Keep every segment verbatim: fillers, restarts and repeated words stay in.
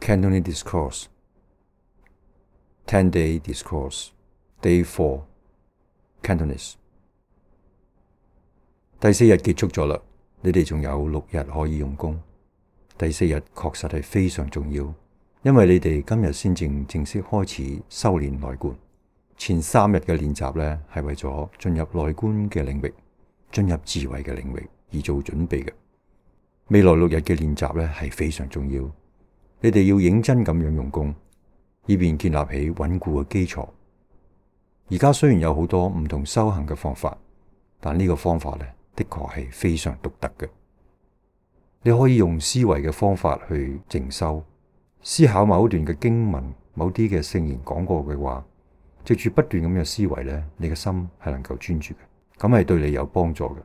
Cantonese Discourse ten day Discourse Day four Cantonese。 第四日結束咗啦，你哋仲有六日可以用功。第四日確實係非常重要，因為你哋今日先正正式開始修煉內觀。前三日嘅練習呢，係為咗進入內觀嘅領域，進入智慧嘅領域而做準備嘅。未來六日嘅練習呢，係非常重要，你哋要認真咁樣用功，以便建立起穩固嘅基礎。而家雖然有好多唔同修行嘅方法，但呢個方法呢，的確係非常獨特嘅。你可以用思維嘅方法去靜修，思考某一段嘅經文、某啲嘅聖言講過嘅話，藉住不斷咁嘅思維呢，你嘅心係能夠專注嘅，咁係對你有幫助嘅。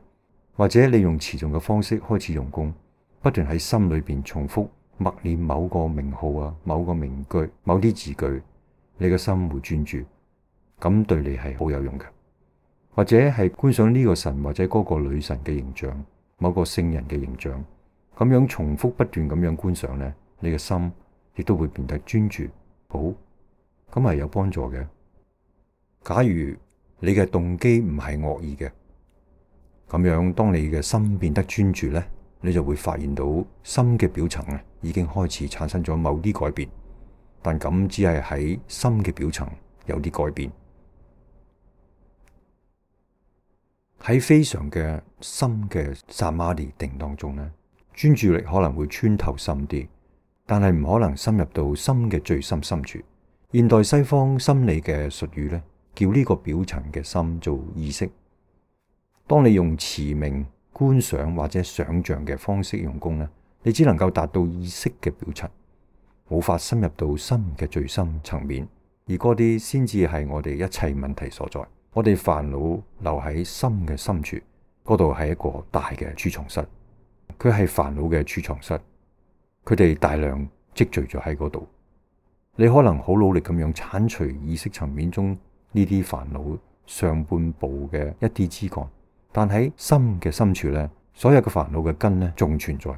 或者你用持誦嘅方式開始用功，不斷喺心裏邊重複默念某個名號啊、某個名句、某啲字句，你嘅心會專注，咁對你係好有用嘅。或者係觀想呢個神或者嗰個女神嘅形象，某個聖人嘅形象，咁樣重複不斷咁樣觀想呢，你嘅心亦都會變得專注。好，咁係有幫助嘅。假如你嘅動機唔係惡意嘅，咁樣當你嘅心變得專注呢，你就會發現到心嘅表層啊已經開始產生咗某啲改變，但咁只係喺心嘅表層有啲改變。喺非常嘅深嘅薩瑪尼定當中呢，專注力可能會穿透深啲，但係唔可能深入到心嘅最深深處。現代西方心理嘅術語呢，叫呢個表層嘅心做意識。當你用持名、觀想或者想象嘅方式用功呢，你只能夠達到意識嘅表層，無法深入到心嘅最深層面，而嗰啲先至係我哋一切問題所在。我哋煩惱留喺心嘅深處，嗰度係一個大嘅儲藏室，佢係煩惱嘅儲藏室，佢哋大量積聚咗喺嗰度。你可能好努力咁樣鏟除意識層面中呢啲煩惱上半部嘅一啲枝幹，但喺心嘅深處呢，所有嘅煩惱嘅根呢仲存在。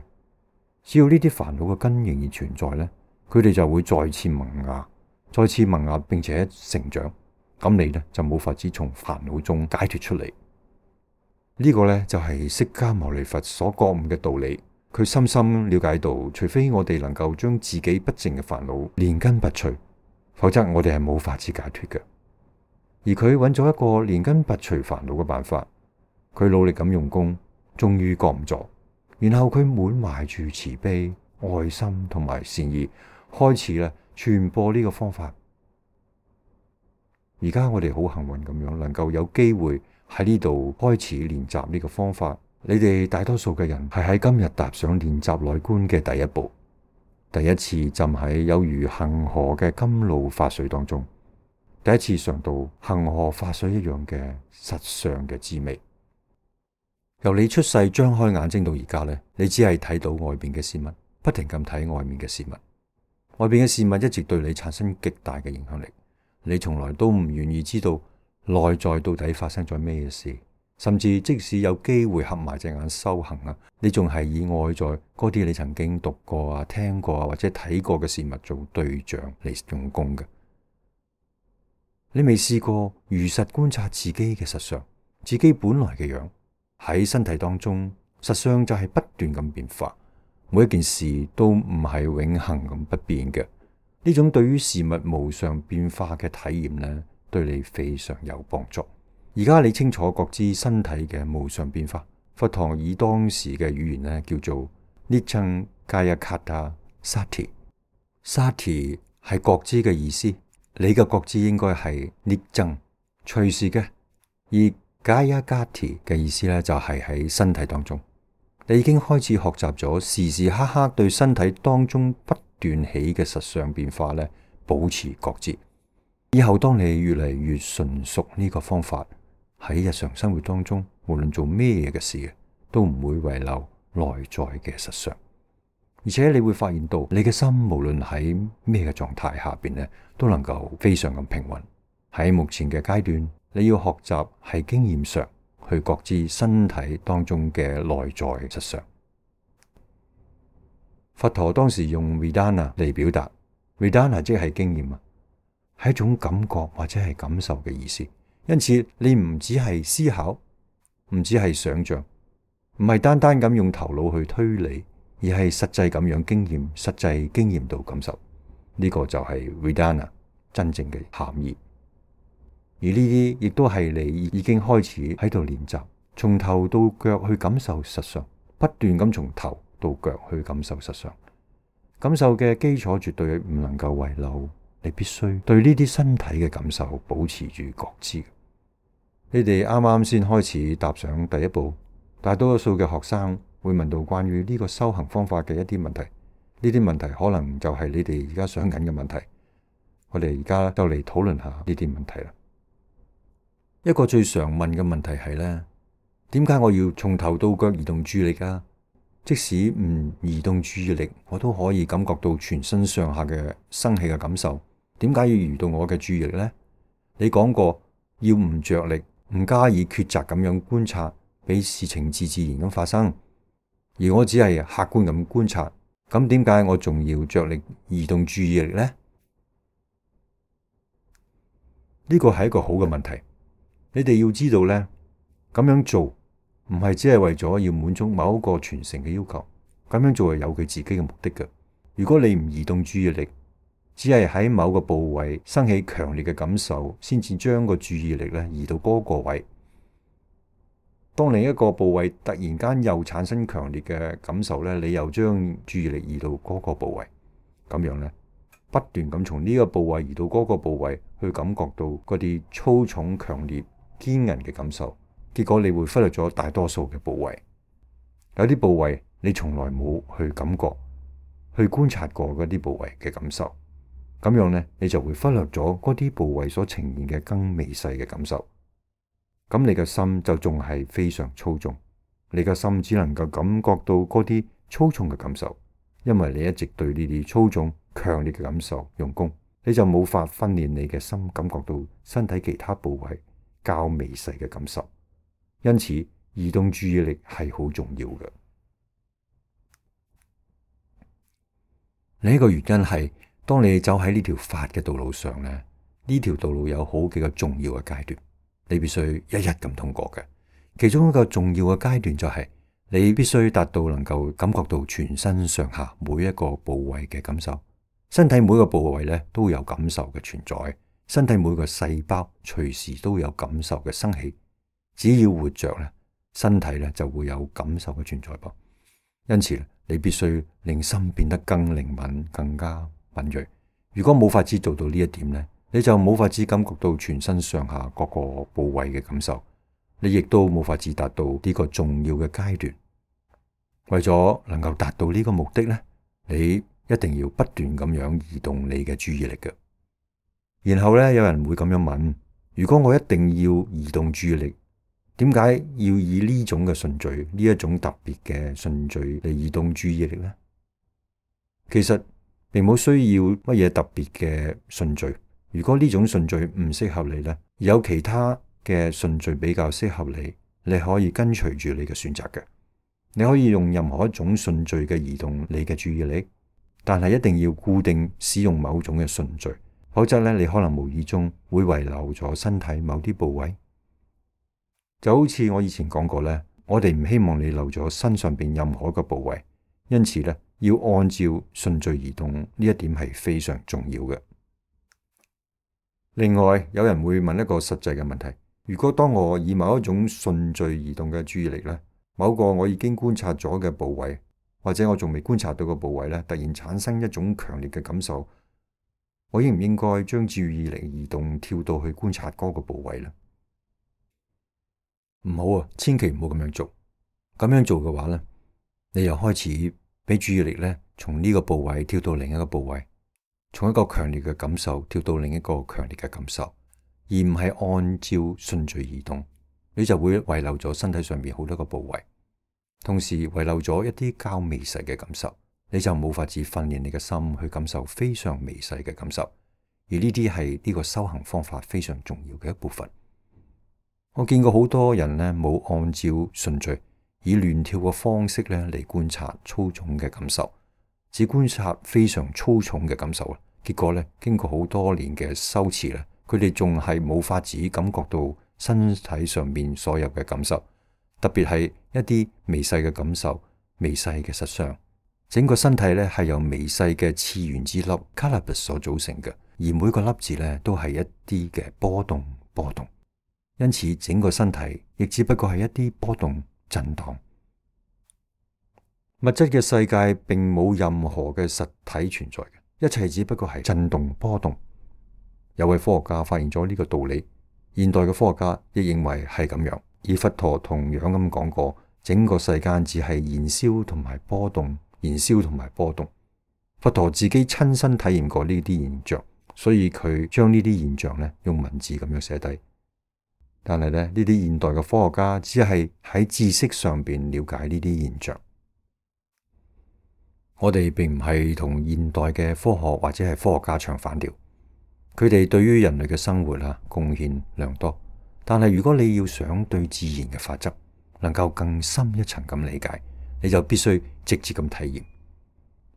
只要呢啲煩惱嘅根仍然存在呢，佢哋就會再次萌芽，再次萌芽並且成長。咁你呢就冇法子從煩惱中解脫出嚟。呢個呢就係釋迦牟尼佛所覺悟嘅道理。佢深深了解到，除非我哋能夠將自己不淨嘅煩惱連根拔除，否則我哋係冇法子解脫嘅。而佢揾咗一個連根拔除煩惱嘅辦法，佢努力咁用功，終於覺悟咗。然後佢滿懷住慈悲、愛心同埋善意，開始咧傳播呢個方法。而家我哋好幸運咁樣，能夠有機會喺呢度開始練習呢個方法。你哋大多數嘅人係喺今日踏上練習內觀嘅第一步，第一次浸喺有如恆河嘅甘露法水當中，第一次嘗到恆河法水一樣嘅實相嘅滋味。由你出世張開眼睛到而家呢，你只係睇到外邊嘅事物，不停咁睇外面嘅事物，外邊嘅事物一直對你產生極大嘅影響力。你從來都唔願意知道內在到底發生咗咩事，甚至即使有機會合埋隻眼修行啊，你仲係以外在嗰啲你曾經讀過啊、聽過啊或者睇過嘅事物做對象嚟用功嘅。你未試過如實觀察自己嘅實相，自己本來嘅樣喺身體當中，實相就係不斷咁變化，每一件事都唔係永恆咁不變嘅。呢種對於事物無常變化嘅體驗呢，對你非常有幫助。而家你清楚覺知身體嘅無常變化，佛陀以當時嘅語言呢叫做 Niccang Kayakata Sati。Sati 係覺知嘅意思，你嘅覺知應該係 Niccang 隨時嘅，而 Kayakati 嘅意思呢就係喺身體當中。你已經開始學習咗時時刻刻對身體當中不斷起嘅實相變化呢保持覺知。以後當你越嚟越純熟呢個方法，喺日常生活當中，無論做咩嘅事，都唔會遺留內在嘅實相。而且你會發現到，你嘅心無論喺咩嘅狀態下邊呢，都能夠非常咁平穩。喺目前嘅階段，你要學習係經驗上去覺知身體當中嘅內在實相。佛陀當時用 Vedana 嚟表達，Vedana 即係經驗啊，係一種感覺或者係感受嘅意思。因此你唔只係思考，唔只係想象，唔係單單咁用頭腦去推理，而係實際咁樣經驗，實際經驗到感受。呢個就係 Vedana 真正嘅含義。而呢啲亦都係你已經開始喺度練習，從頭到腳去感受實相，不斷咁從頭到腳去感受實相。感受嘅基礎絕對唔能夠遺漏，你必須對呢啲身體嘅感受保持住覺知。你哋啱啱先開始踏上第一步，大多數嘅學生會問到關於呢個修行方法嘅一啲問題，呢啲問題可能就係你哋而家想緊嘅問題。我哋而家就嚟討論下呢啲問題啦。一個最常問嘅問題係呢：點解我要從頭到腳移動注意力啊？即使唔移動注意力，我都可以感覺到全身上下嘅生氣嘅感受。點解要移動我嘅注意力呢？你講過要唔着力，唔加以抉擇咁樣觀察，俾事情自自然咁發生。而我只係客觀咁觀察，咁點解我仲要着力移動注意力呢？呢個係一個好嘅問題。你哋要知道呢，咁樣做唔係只係為咗要滿足某一個傳承嘅要求，咁樣做係有佢自己嘅目的嘅。如果你唔移動注意力，只係喺某個部位生起強烈嘅感受，先至將個注意力咧移到嗰個位。當另一個部位突然間又產生強烈嘅感受咧，你又將注意力移到嗰個部位，咁樣咧，不斷咁從呢個部位移到嗰個部位，去感覺到嗰啲粗重、強烈、堅韌嘅感受，結果你會忽略咗大多數嘅部位。有啲部位你從來冇去感覺、去觀察過嗰啲部位嘅感受，咁樣呢，你就會忽略咗嗰啲部位所呈現嘅更微細嘅感受。咁你嘅心就仲係非常粗重，你嘅心只能夠感覺到嗰啲粗重嘅感受，因為你一直對呢啲粗重、強烈嘅感受用功，你就冇法訓練你嘅心感覺到身體其他部位較微細嘅感受，因此移動注意力係好重要嘅。另一個原因係，當你走喺呢條法嘅道路上呢，呢條道路有好幾個重要嘅階段，你必須一一咁通過嘅。其中一個重要嘅階段就係，你必須達到能夠感覺到全身上下每一個部位嘅感受。身體每個部位咧都有感受嘅存在，身體每個細胞隨時都有感受嘅生起。只要活着咧，身體咧就會有感受嘅存在噃。因此你必須令心變得更靈敏、更加敏銳。如果冇法子做到呢一點咧，你就冇法子感覺到全身上下各個部位嘅感受，你亦都冇法子達到呢個重要嘅階段。為咗能夠達到呢個目的咧，你一定要不斷咁樣移動你嘅注意力嘅。然後咧，有人會咁樣問：如果我一定要移動注意力，點解要以呢種嘅順序，呢一種特別嘅順序嚟移動注意力呢？其實並冇需要乜嘢特別嘅順序。如果呢種順序唔適合你呢，有其他嘅順序比較適合你，你可以跟隨住你嘅選擇嘅。你可以用任何一種順序嘅移動你嘅注意力。但係一定要固定使用某種嘅順序，否則咧你可能無意中會遺漏咗身體某啲部位。就好似我以前講過咧，我哋唔希望你漏咗身上邊任何一個部位，因此咧要按照順序移動，呢一點係非常重要嘅。另外，有人會問一個實際嘅問題：如果當我以某一種順序移動嘅注意力咧，某個我已經觀察咗嘅部位，或者我仲未觀察到個部位咧，突然產生一種強烈嘅感受，我應唔應該將注意力移動跳到去觀察嗰個部位呢？唔好啊，千祈唔好咁樣做。咁樣做嘅話咧，你又開始俾注意力咧從呢個部位跳到另一個部位，從一個強烈嘅感受跳到另一個強烈嘅感受，而唔係按照順序移動，你就會遺漏咗身體上面好多個部位。同時遺漏咗一啲較微細嘅感受，你就冇法子訓練你嘅心去感受非常微細嘅感受，而呢啲係呢個修行方法非常重要嘅一部分。我見過好多人呢冇按照順序，以亂跳嘅方式咧嚟觀察粗重嘅感受，只觀察非常粗重嘅感受啦。結果咧，經過好多年嘅修持咧，佢哋仲係冇法子感覺到身體上面所有嘅感受，特別係一啲微細嘅感受、微細嘅實相。整個身體咧係由微細嘅次原子粒 cannabis 所組成嘅，而每個粒子咧都係一啲嘅波動波動，因此整個身體亦只不過係一啲波動震盪。物質嘅世界並冇任何嘅實體存在嘅，一切只不過係震動波動。有位科學家發現咗呢個道理，現代嘅科學家亦認為係咁樣，而佛陀同樣咁講過，整個世間只係燃燒同埋波動，燃燒同埋波動。佛陀自己親身體驗過呢啲現象，所以佢將呢啲現象咧用文字咁樣寫低。但係咧，呢啲現代嘅科學家只係喺知識上邊了解呢啲現象。我哋並唔係同現代嘅科學或者係科學家唱反調，佢哋對於人類嘅生活啊貢獻良多。但係如果你要想對自然嘅法則能夠更深一層咁理解，你就必須直接咁體驗。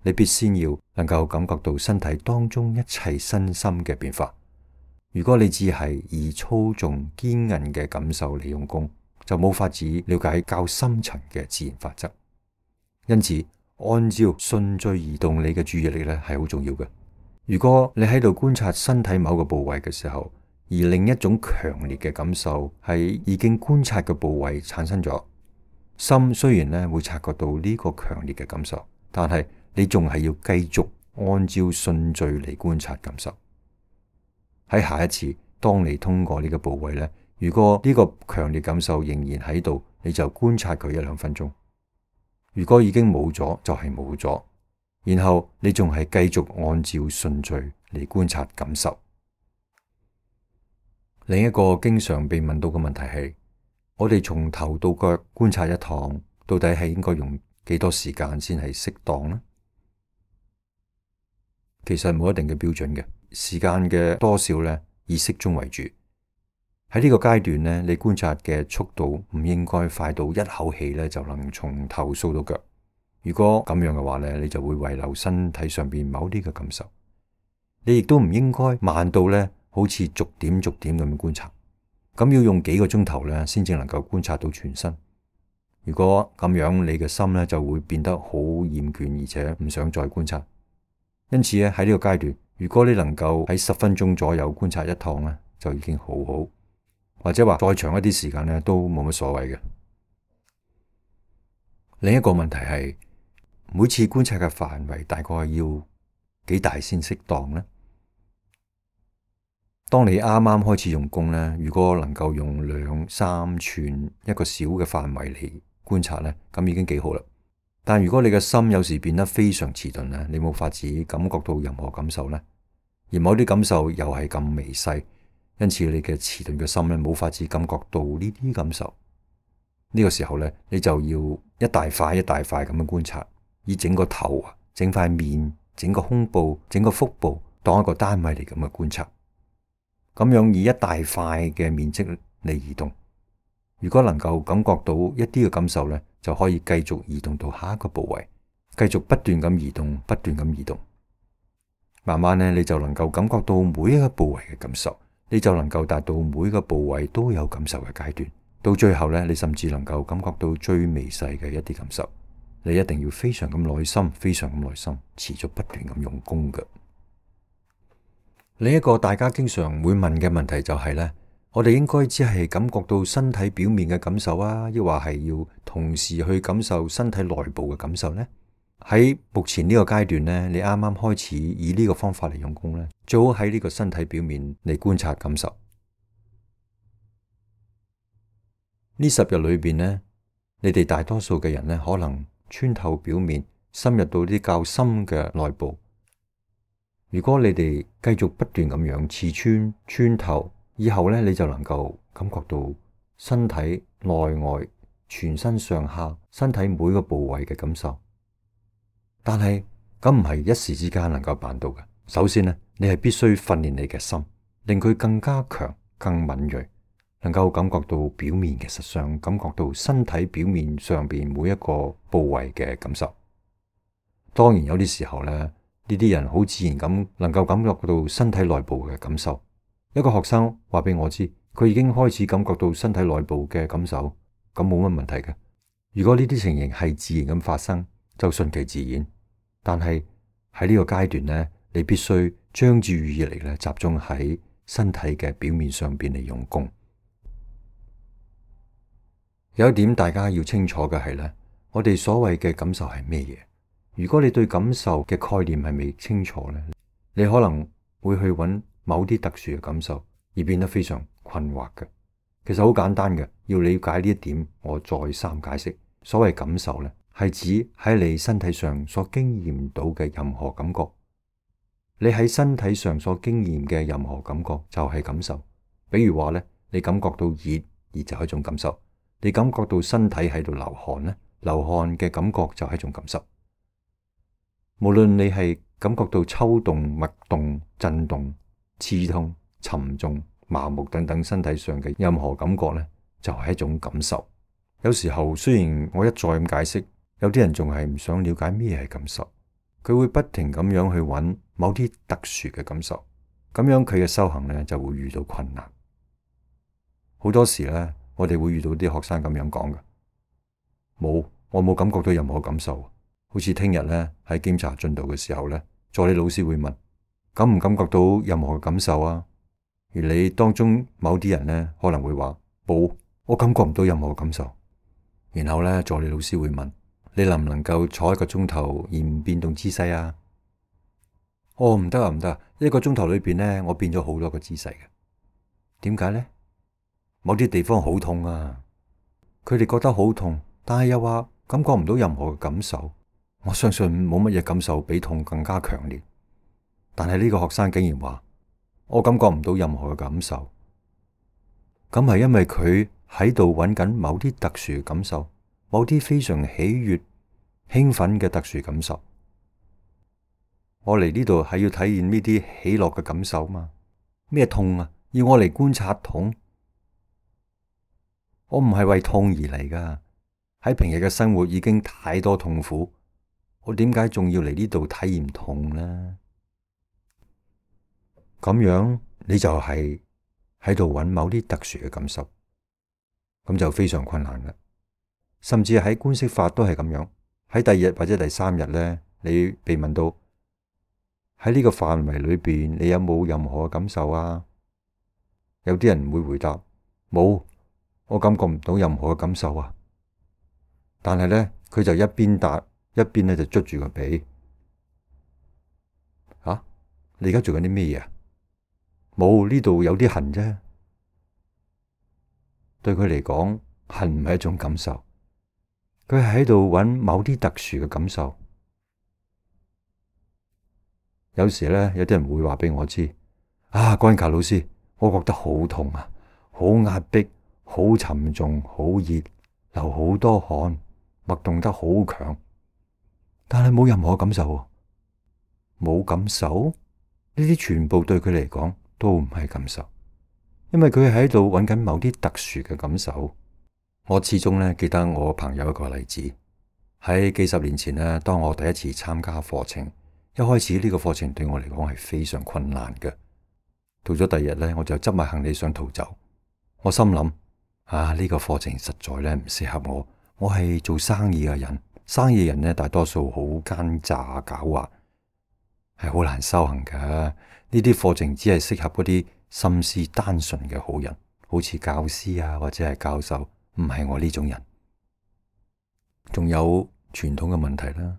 你必先要能夠感覺到身體當中一切身心嘅變化。如果你只係以粗重堅韌嘅感受嚟用功，就冇法子了解較深層嘅自然法則。因此，按照順序移動你嘅注意力咧係好重要嘅。如果你喺度觀察身體某個部位嘅時候，而另一種強烈嘅感受係已經觀察嘅部位產生咗，心雖然咧會察覺到呢個強烈嘅感受，但係你仲係要繼續按照順序嚟觀察感受。喺下一次，當你通過呢個部位咧，如果呢個強烈感受仍然喺度，你就觀察佢一兩分鐘。如果已經冇咗，就係冇咗。然後你仲係繼續按照順序嚟觀察感受。另一個經常被問到嘅問題係：我哋從頭到腳觀察一趟，到底係應該用幾多時間先係適當呢？其實冇一定嘅標準嘅，時間嘅多少呢，以適中為主。喺呢個階段呢，你觀察嘅速度唔應該快到一口氣呢就能從頭掃到腳。如果咁樣嘅話呢，你就會遺留身體上邊某啲嘅感受。你亦都唔應該慢到呢，好似逐點逐點咁觀察。咁要用幾個鐘頭呢，先至能夠觀察到全身。如果咁樣，你嘅心呢就會變得好厭倦，而且唔想再觀察。因此咧，喺呢個階段，如果你能夠喺十分鐘左右觀察一趟呢，就已經好好。或者話再長一啲時間呢，都冇乜所謂嘅。另一個問題係，每次觀察嘅範圍大概要幾大先適當呢？當你啱啱開始用功呢，如果能夠用兩三寸一個小嘅範圍嚟觀察呢，咁已經幾好啦。但如果你嘅心有時變得非常遲鈍呢，你冇法子感覺到任何感受呢，而某啲感受又係咁微細，因此你嘅遲鈍嘅心呢，冇法子感覺到呢啲感受。呢個時候呢，你就要一大塊一大塊咁樣觀察，以整個頭啊、整塊面、整個胸部、整個腹部當一個單位嚟咁嘅觀察。咁樣以一大塊嘅面積嚟移動，如果能夠感覺到一啲嘅感受呢，就可以繼續移動到下一個部位，繼續不斷咁移動，不斷咁移動。慢慢呢，你就能夠感覺到每一個部位嘅感受，你就能夠達到每一個部位都有感受嘅階段。到最後呢，你甚至能夠感覺到最微細嘅一啲感受。你一定要非常咁耐心，非常咁耐心，持續不斷咁用功嘅。另一個大家經常會問嘅問題就係呢：我哋應該只係感覺到身體表面嘅感受啊，抑或係要同時去感受身體內部嘅感受呢？喺目前呢個階段呢，你啱啱開始以呢個方法嚟用功呢，最好喺呢個身體表面嚟觀察感受。呢十日裏邊呢，你哋大多數嘅人呢，可能穿透表面，深入到啲較深嘅內部。如果你哋繼續不斷咁樣刺穿穿透，以後呢，你就能夠感覺到身體內外、全身上下、身體每個部位嘅感受。但係咁唔係一時之間能夠辦到嘅。首先呢，你係必須訓練你嘅心，令佢更加強、更敏銳，能夠感覺到表面嘅實相，感覺到身體表面上邊每一個部位嘅感受。當然有啲時候咧，呢啲人好自然咁能夠感覺到身體內部嘅感受。一個學生話俾我知，佢已經開始感覺到身體內部嘅感受，咁冇乜問題嘅。如果呢啲情形係自然咁發生，就順其自然。但係喺呢個階段咧，你必須將注意力咧集中喺身體嘅表面上邊嚟用功。有一點大家要清楚嘅係咧，我哋所謂嘅感受係咩嘢？如果你對感受嘅概念係未清楚咧，你可能會去揾某啲特殊嘅感受，而變得非常困惑嘅。其實好簡單嘅，要了解呢一點，我再三解釋。所謂感受咧，係指喺你身體上所經驗到嘅任何感覺。你喺身體上所經驗嘅任何感覺就係感受。比如話咧，你感覺到熱，熱就係一種感受。你感覺到身體喺度流汗咧，流汗嘅感覺就係一種感受。無論你係感覺到抽動、脈動、震動、刺痛、沉重、麻木等等身體上嘅任何感覺咧，就係一種感受。有時候雖然我一再咁解釋，有啲人仲係唔想了解咩係感受，佢會不停咁樣去揾某啲特殊嘅感受，咁樣佢嘅修行咧就會遇到困難。好多時咧，我哋會遇到啲學生咁樣講嘅，冇，我冇感覺到任何感受。好似聽日咧喺檢查進度嘅時候咧，助理老師會問，感唔感覺到任何嘅感受啊？而你當中某啲人咧可能會話冇，我感覺唔到任何嘅感受。然後咧，助理老師會問，你能唔能夠坐一個鐘頭而唔變動姿勢啊？哦，唔得啊，唔得啊！一個鐘頭裏邊咧，我變咗好多個姿勢嘅。點解咧？某啲地方好痛啊！佢哋覺得好痛，但係又話感覺唔到任何嘅感受。我相信冇乜嘢感受比痛更加強烈。但係呢個學生竟然話，我感覺唔到任何嘅感受。咁係因為佢喺度揾緊某啲特殊嘅感受，某啲非常喜悅、興奮嘅特殊感受。我嚟呢度係要體驗呢啲喜樂嘅感受嘛？咩痛啊？要我嚟觀察痛？我唔係為痛而嚟噶。喺平日嘅生活已經太多痛苦，我點解仲要嚟呢度體驗痛呢？咁樣你就係喺度揾某啲特殊嘅感受，咁就非常困難啦。甚至喺觀息法都係咁樣。喺第二日或者第三日咧，你被問到喺呢個範圍裏邊，你有冇任何嘅感受啊？有啲人會回答冇，我感覺唔到任何嘅感受啊。但係咧，佢就一邊答一邊咧就捽住個鼻。啊，你而家做緊啲咩嘢啊？冇，呢度有啲痕啫。對佢嚟講，痕唔係一種感受，佢係喺度揾某啲特殊嘅感受。有時咧，有啲人會話俾我知，啊，關卡老師，我覺得好痛啊，好壓迫，好沉重，好熱，流好多汗，脈動得好強，但係冇任何感受。冇感受？呢啲全部對佢嚟講都唔係感受，因為佢喺度揾緊某啲特殊嘅感受。我始終咧記得我朋友一個例子，喺幾十年前咧，當我第一次參加課程，一開始呢個課程對我嚟講係非常困難嘅。到咗第二日咧，我就執埋行李想逃走。我心諗啊，呢個課程實在咧唔適合我。我係做生意嘅人，生意人咧大多數好奸詐狡猾，係好難修行噶。呢啲課程只係適合嗰啲心思單純嘅好人，好似教師啊或者係教授，唔係我呢種人。仲有傳統嘅問題啦，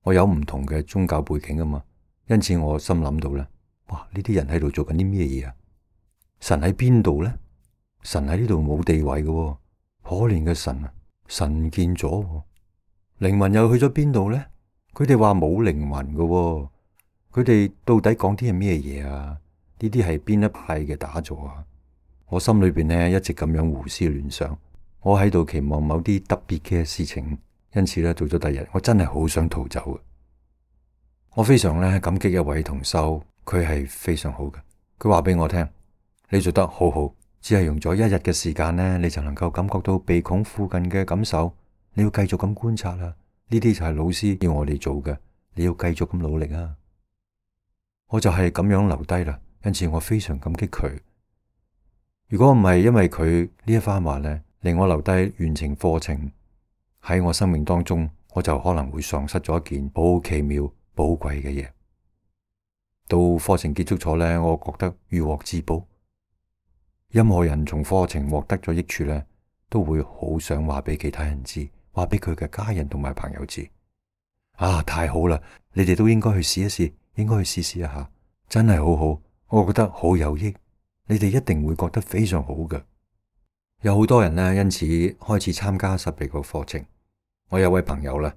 我有唔同嘅宗教背景啊嘛，因此我心諗到咧，哇，呢啲人喺度做緊啲咩嘢啊？神喺邊度咧？神喺呢度冇地位嘅喎，可憐嘅神啊！神唔見咗，靈魂又去咗邊度咧？佢哋話冇靈魂嘅喎，佢哋到底講啲係咩嘢啊？呢啲係邊一派嘅打坐啊？我心裏邊咧一直咁樣胡思亂想，我喺度期望某啲特別嘅事情，因此咧到咗第二日，我真係好想逃走嘅。我非常咧感激一位同修，佢係非常好嘅。佢話俾我聽，你做得好好。只係用咗一日嘅時間呢，你就能夠感覺到鼻孔附近嘅感受。你要繼續咁觀察啦，呢啲就係老師要我哋做嘅。你要繼續咁努力啊！我就係咁樣留低啦，因此我非常感激佢。如果唔係因為佢呢一番話咧，令我留低完成課程喺我生命當中，我就可能會喪失咗一件好奇妙、寶貴嘅嘢。到課程結束咗咧，我覺得如獲至寶。任何人從課程獲得咗益處咧，都會好想話俾其他人知，話俾佢嘅家人同埋朋友知。啊，太好啦！你哋都應該去試一試，應該去試試一下，真係好好，我覺得好有益。你哋一定會覺得非常好嘅。有好多人呢，因此開始參加十二個課程。我有位朋友啦，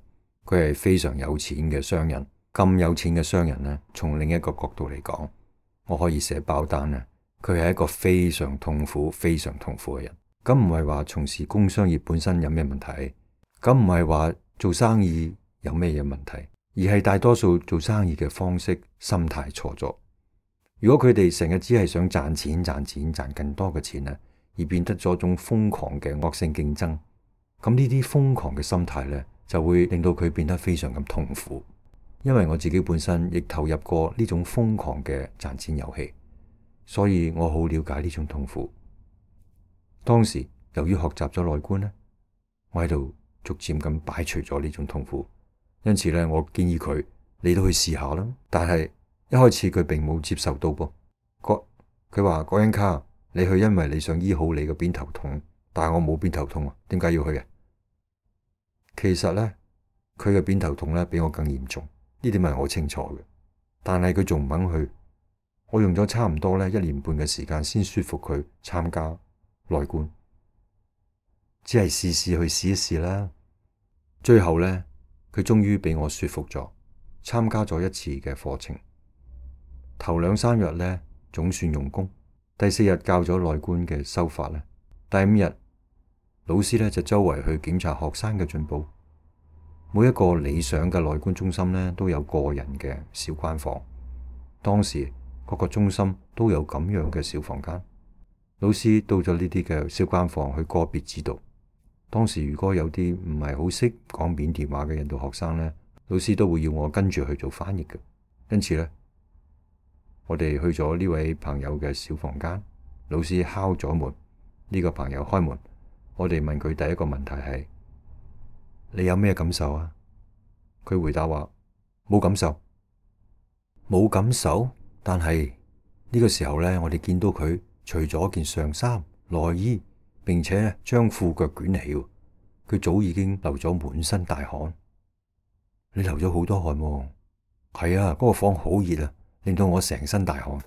佢係非常有錢嘅商人。咁有錢嘅商人呢，從另一個角度嚟講，我可以寫包單啊。佢係一個非常痛苦、非常痛苦嘅人。咁唔係話從事工商業本身有咩問題，咁唔係話做生意有咩嘢問題，而係大多數做生意嘅方式、心態錯咗。如果佢哋成日只係想賺錢、賺錢、賺更多嘅錢咧，而變得咗一種瘋狂嘅惡性競爭，咁呢啲瘋狂嘅心態咧，就會令到佢變得非常咁痛苦。因為我自己本身亦投入過呢種瘋狂嘅賺錢遊戲，所以我好了解呢種痛苦。當時由於學習咗內觀咧，我喺度逐漸咁擺除咗呢種痛苦，因此咧，我建議佢你都去試下啦。但係一開始佢並冇接受到噃，佢話郭恩卡，你去因為你想醫好你嘅偏頭痛，但係我冇偏頭痛啊，點解要去啊？其實咧，佢嘅偏頭痛咧比我更嚴重，呢點係我清楚嘅，但係佢仲唔肯去。我用咗差唔多咧一年半嘅時間先說服佢參加內觀，只係試試去試一試啦。最後咧，佢終於俾我說服咗，參加咗一次嘅課程。頭兩三日咧總算用功，第四日教咗內觀嘅修法咧，第五日老師咧就周圍去檢查學生嘅進步。每一個理想嘅內觀中心咧都有個人嘅小關房，當時各個中心都有咁樣嘅小房間。老師到咗呢啲嘅小關房去個別指導。當時如果有啲唔係好識講緬甸話嘅印度學生咧，老師都會要我跟住去做翻譯嘅。因此咧，我哋去咗呢位朋友嘅小房間，老師敲咗門，呢個朋友開門，我哋問佢第一個問題係：你有咩感受啊？佢回答話冇感受，冇感受。但係呢個時候咧，我哋見到佢除咗件上衫、內衣，並且將褲腳捲起，佢早已經流咗滿身大汗。你流咗好多汗喎。係啊，嗰個房好熱啊，令到我成身大汗。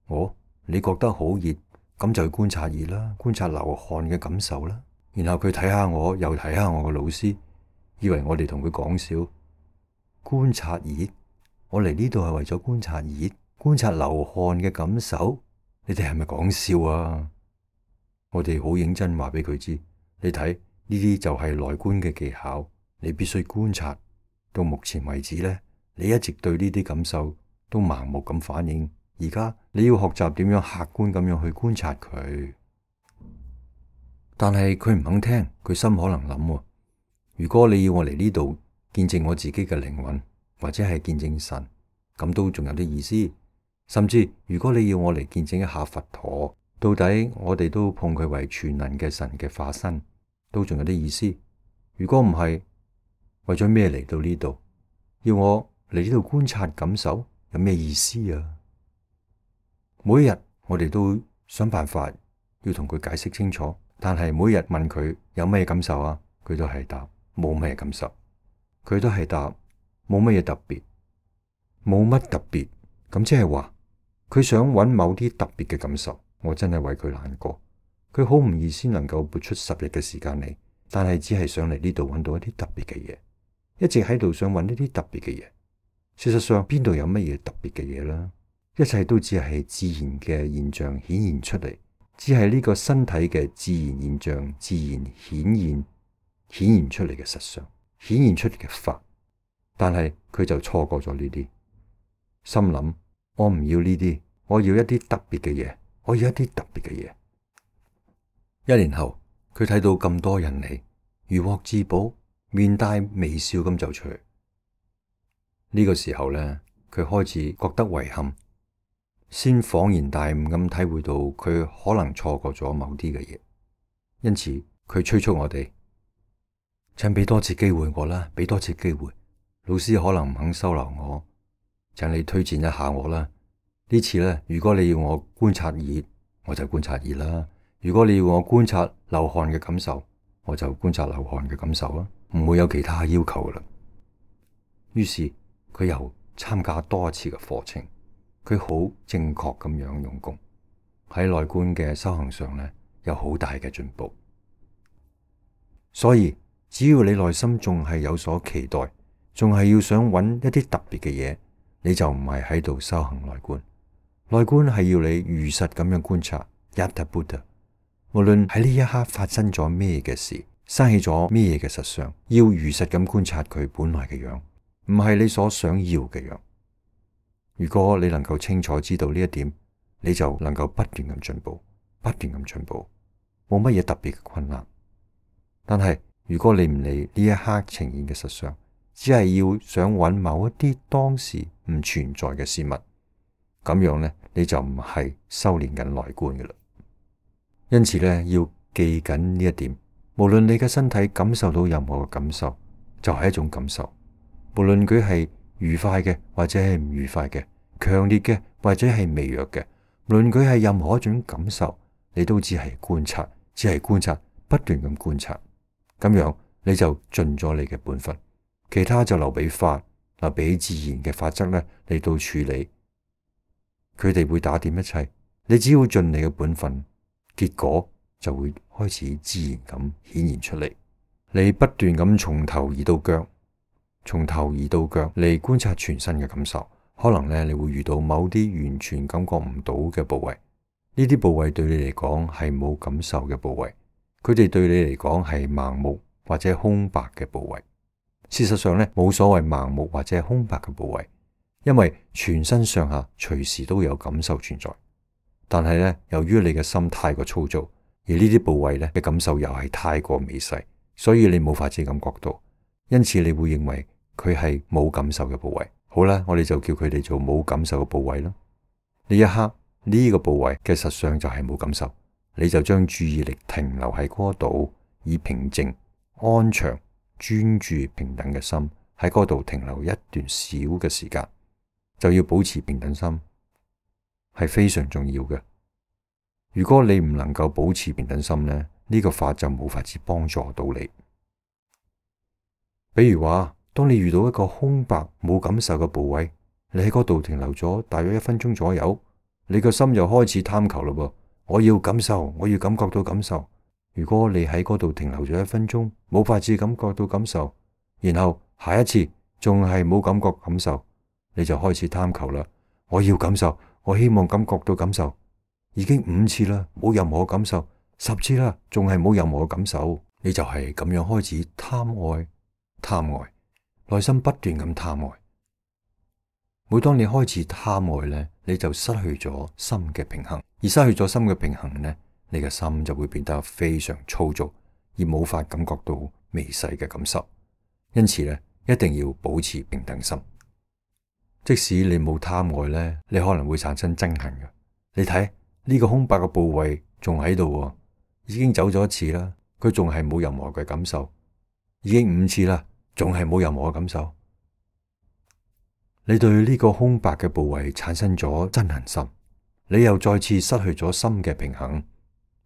哦，你覺得好熱，咁就去觀察熱啦，觀察流汗嘅感受啦。然後佢睇下我，又睇下我個老師，以為我哋同佢講笑。觀察熱？我嚟呢度係為咗觀察熱，觀察流汗嘅感受。你哋係咪講笑啊？我哋好認真話俾佢知，你睇呢啲就係內觀嘅技巧，你必須觀察。到目前為止咧，你一直對呢啲感受都盲目咁反應，而家你要學習點樣客觀咁樣去觀察佢。但係佢唔肯聽，佢心可能諗，如果你要我嚟呢度見證我自己嘅靈魂，或者係見證神，咁都仲有啲意思。甚至如果你要我嚟見證一下佛陀，到底我哋都碰佢為全能嘅神嘅化身，都仲有啲意思。如果唔係，為咗咩嚟到呢度？要我嚟呢度觀察感受，有咩意思啊？每一日我哋都想辦法要同佢解釋清楚，但係每日問佢有咩感受啊，佢都係答冇咩感受，佢都係答冇乜嘢特別，冇乜特別。咁即係話佢想揾某啲特別嘅感受，我真係為佢難過。佢好唔易先能夠撥出十日嘅時間嚟，但係只係想嚟呢度揾到一啲特別嘅嘢，一直喺度想揾呢啲特別嘅嘢。事實上邊度有乜嘢特別嘅嘢啦？一切都只係自然嘅現象顯現出嚟，只係呢個身體嘅自然現象自然顯現顯現出嚟嘅實相，顯現出嚟嘅法。但係佢就錯過咗呢啲，心諗我唔要呢啲，我要一啲特別嘅嘢，我要一啲特別嘅嘢。一年後，佢睇到咁多人嚟，如獲至寶，面帶微笑咁走出去。呢個時候咧，佢開始覺得遺憾，先恍然大悟咁體會到佢可能錯過咗某啲嘅嘢，因此佢催促我哋，請俾多次機會我啦，俾多次機會。老師可能唔肯收留我，請你推薦一下我啦。呢次咧，如果你要我觀察熱，我就觀察熱啦；如果你要我觀察流汗嘅感受，我就觀察流汗嘅感受啦，唔會有其他要求噶啦。於是佢又參加多一次嘅課程，佢好正確咁樣用功，喺內觀嘅修行上咧，有好大嘅進步。所以只要你內心仲係有所期待，仲係要想揾一啲特別嘅嘢，你就唔係喺度修行內觀。內觀係要你如實咁樣觀察，Yatha Bhuta，無論喺呢一刻發生咗咩嘅事，生起咗咩嘅實相，要如實咁觀察佢本來嘅樣，唔係你所想要嘅樣。如果你能夠清楚知道呢一點，你就能夠不斷咁進步，不斷咁進步，冇乜嘢特別嘅困難。但係如果你唔理呢一刻呈現嘅實相，只係要想揾某一啲當時唔存在嘅事物，咁樣呢，你就唔係修煉緊內觀嘅啦。因此呢，要記緊呢一點，無論你嘅身體感受到任何嘅感受，就係一種感受，無論佢係愉快嘅或者係唔愉快嘅，強烈嘅或者係微弱嘅，無論佢係任何一種感受，你都只係觀察，只係觀察，不斷咁觀察，咁樣你就盡咗你嘅本分，其他就留俾法，留俾自然嘅法則咧嚟到處理，佢哋會打點一切，你只要盡你嘅本分，結果就會開始自然咁顯現出嚟。你不斷咁從頭移到腳，從頭移到腳嚟觀察全身嘅感受，可能咧你會遇到某啲完全感覺唔到嘅部位，呢啲部位對你嚟講係冇感受嘅部位，佢哋對你嚟講係盲目或者空白嘅部位。事實上咧，冇所謂盲目或者空白嘅部位，因為全身上下隨時都有感受存在。但係咧，由於你嘅心太過粗糙，而呢啲部位咧嘅感受又係太過微細，所以你冇法子感覺到，因此你會認為佢係冇感受嘅部位。好啦，我哋就叫佢哋做冇感受嘅部位啦。呢一刻呢個部位嘅實相就係冇感受，你就將注意力停留喺嗰度，以平靜、安詳、專注、平等嘅心喺嗰度停留一段小嘅時間，就要保持平等心，係非常重要嘅。如果你唔能夠保持平等心呢，呢個法就冇法子幫助到你。比如話，當你遇到一個空白冇感受嘅部位，你喺嗰度停留咗大約一分鐘左右，你個心就開始貪求嘞噃，我要感受，我要感覺到感受。如果你喺嗰度停留咗一分鐘，冇法子感覺到感受，然後下一次仲係冇感覺感受，你就開始貪求啦。我要感受，我希望感覺到感受，已經五次啦，冇任何感受，十次啦，仲係冇任何感受，你就係咁樣開始貪愛，貪愛，內心不斷咁貪愛。每當你開始貪愛呢，你就失去咗心嘅平衡，而失去咗心嘅平衡呢，你嘅心就會變得非常粗糙，而冇法感覺到微細嘅感受。因此呢，一定要保持平等心。即使你冇貪愛呢，你可能會產生憎恨嘅。你睇呢個空白嘅部位仲喺度，已經走咗一次啦，佢仲係冇任何嘅感受，已經五次啦，仲係冇任何嘅感受。你對呢個空白嘅部位產生咗憎恨心，你又再次失去咗心嘅平衡。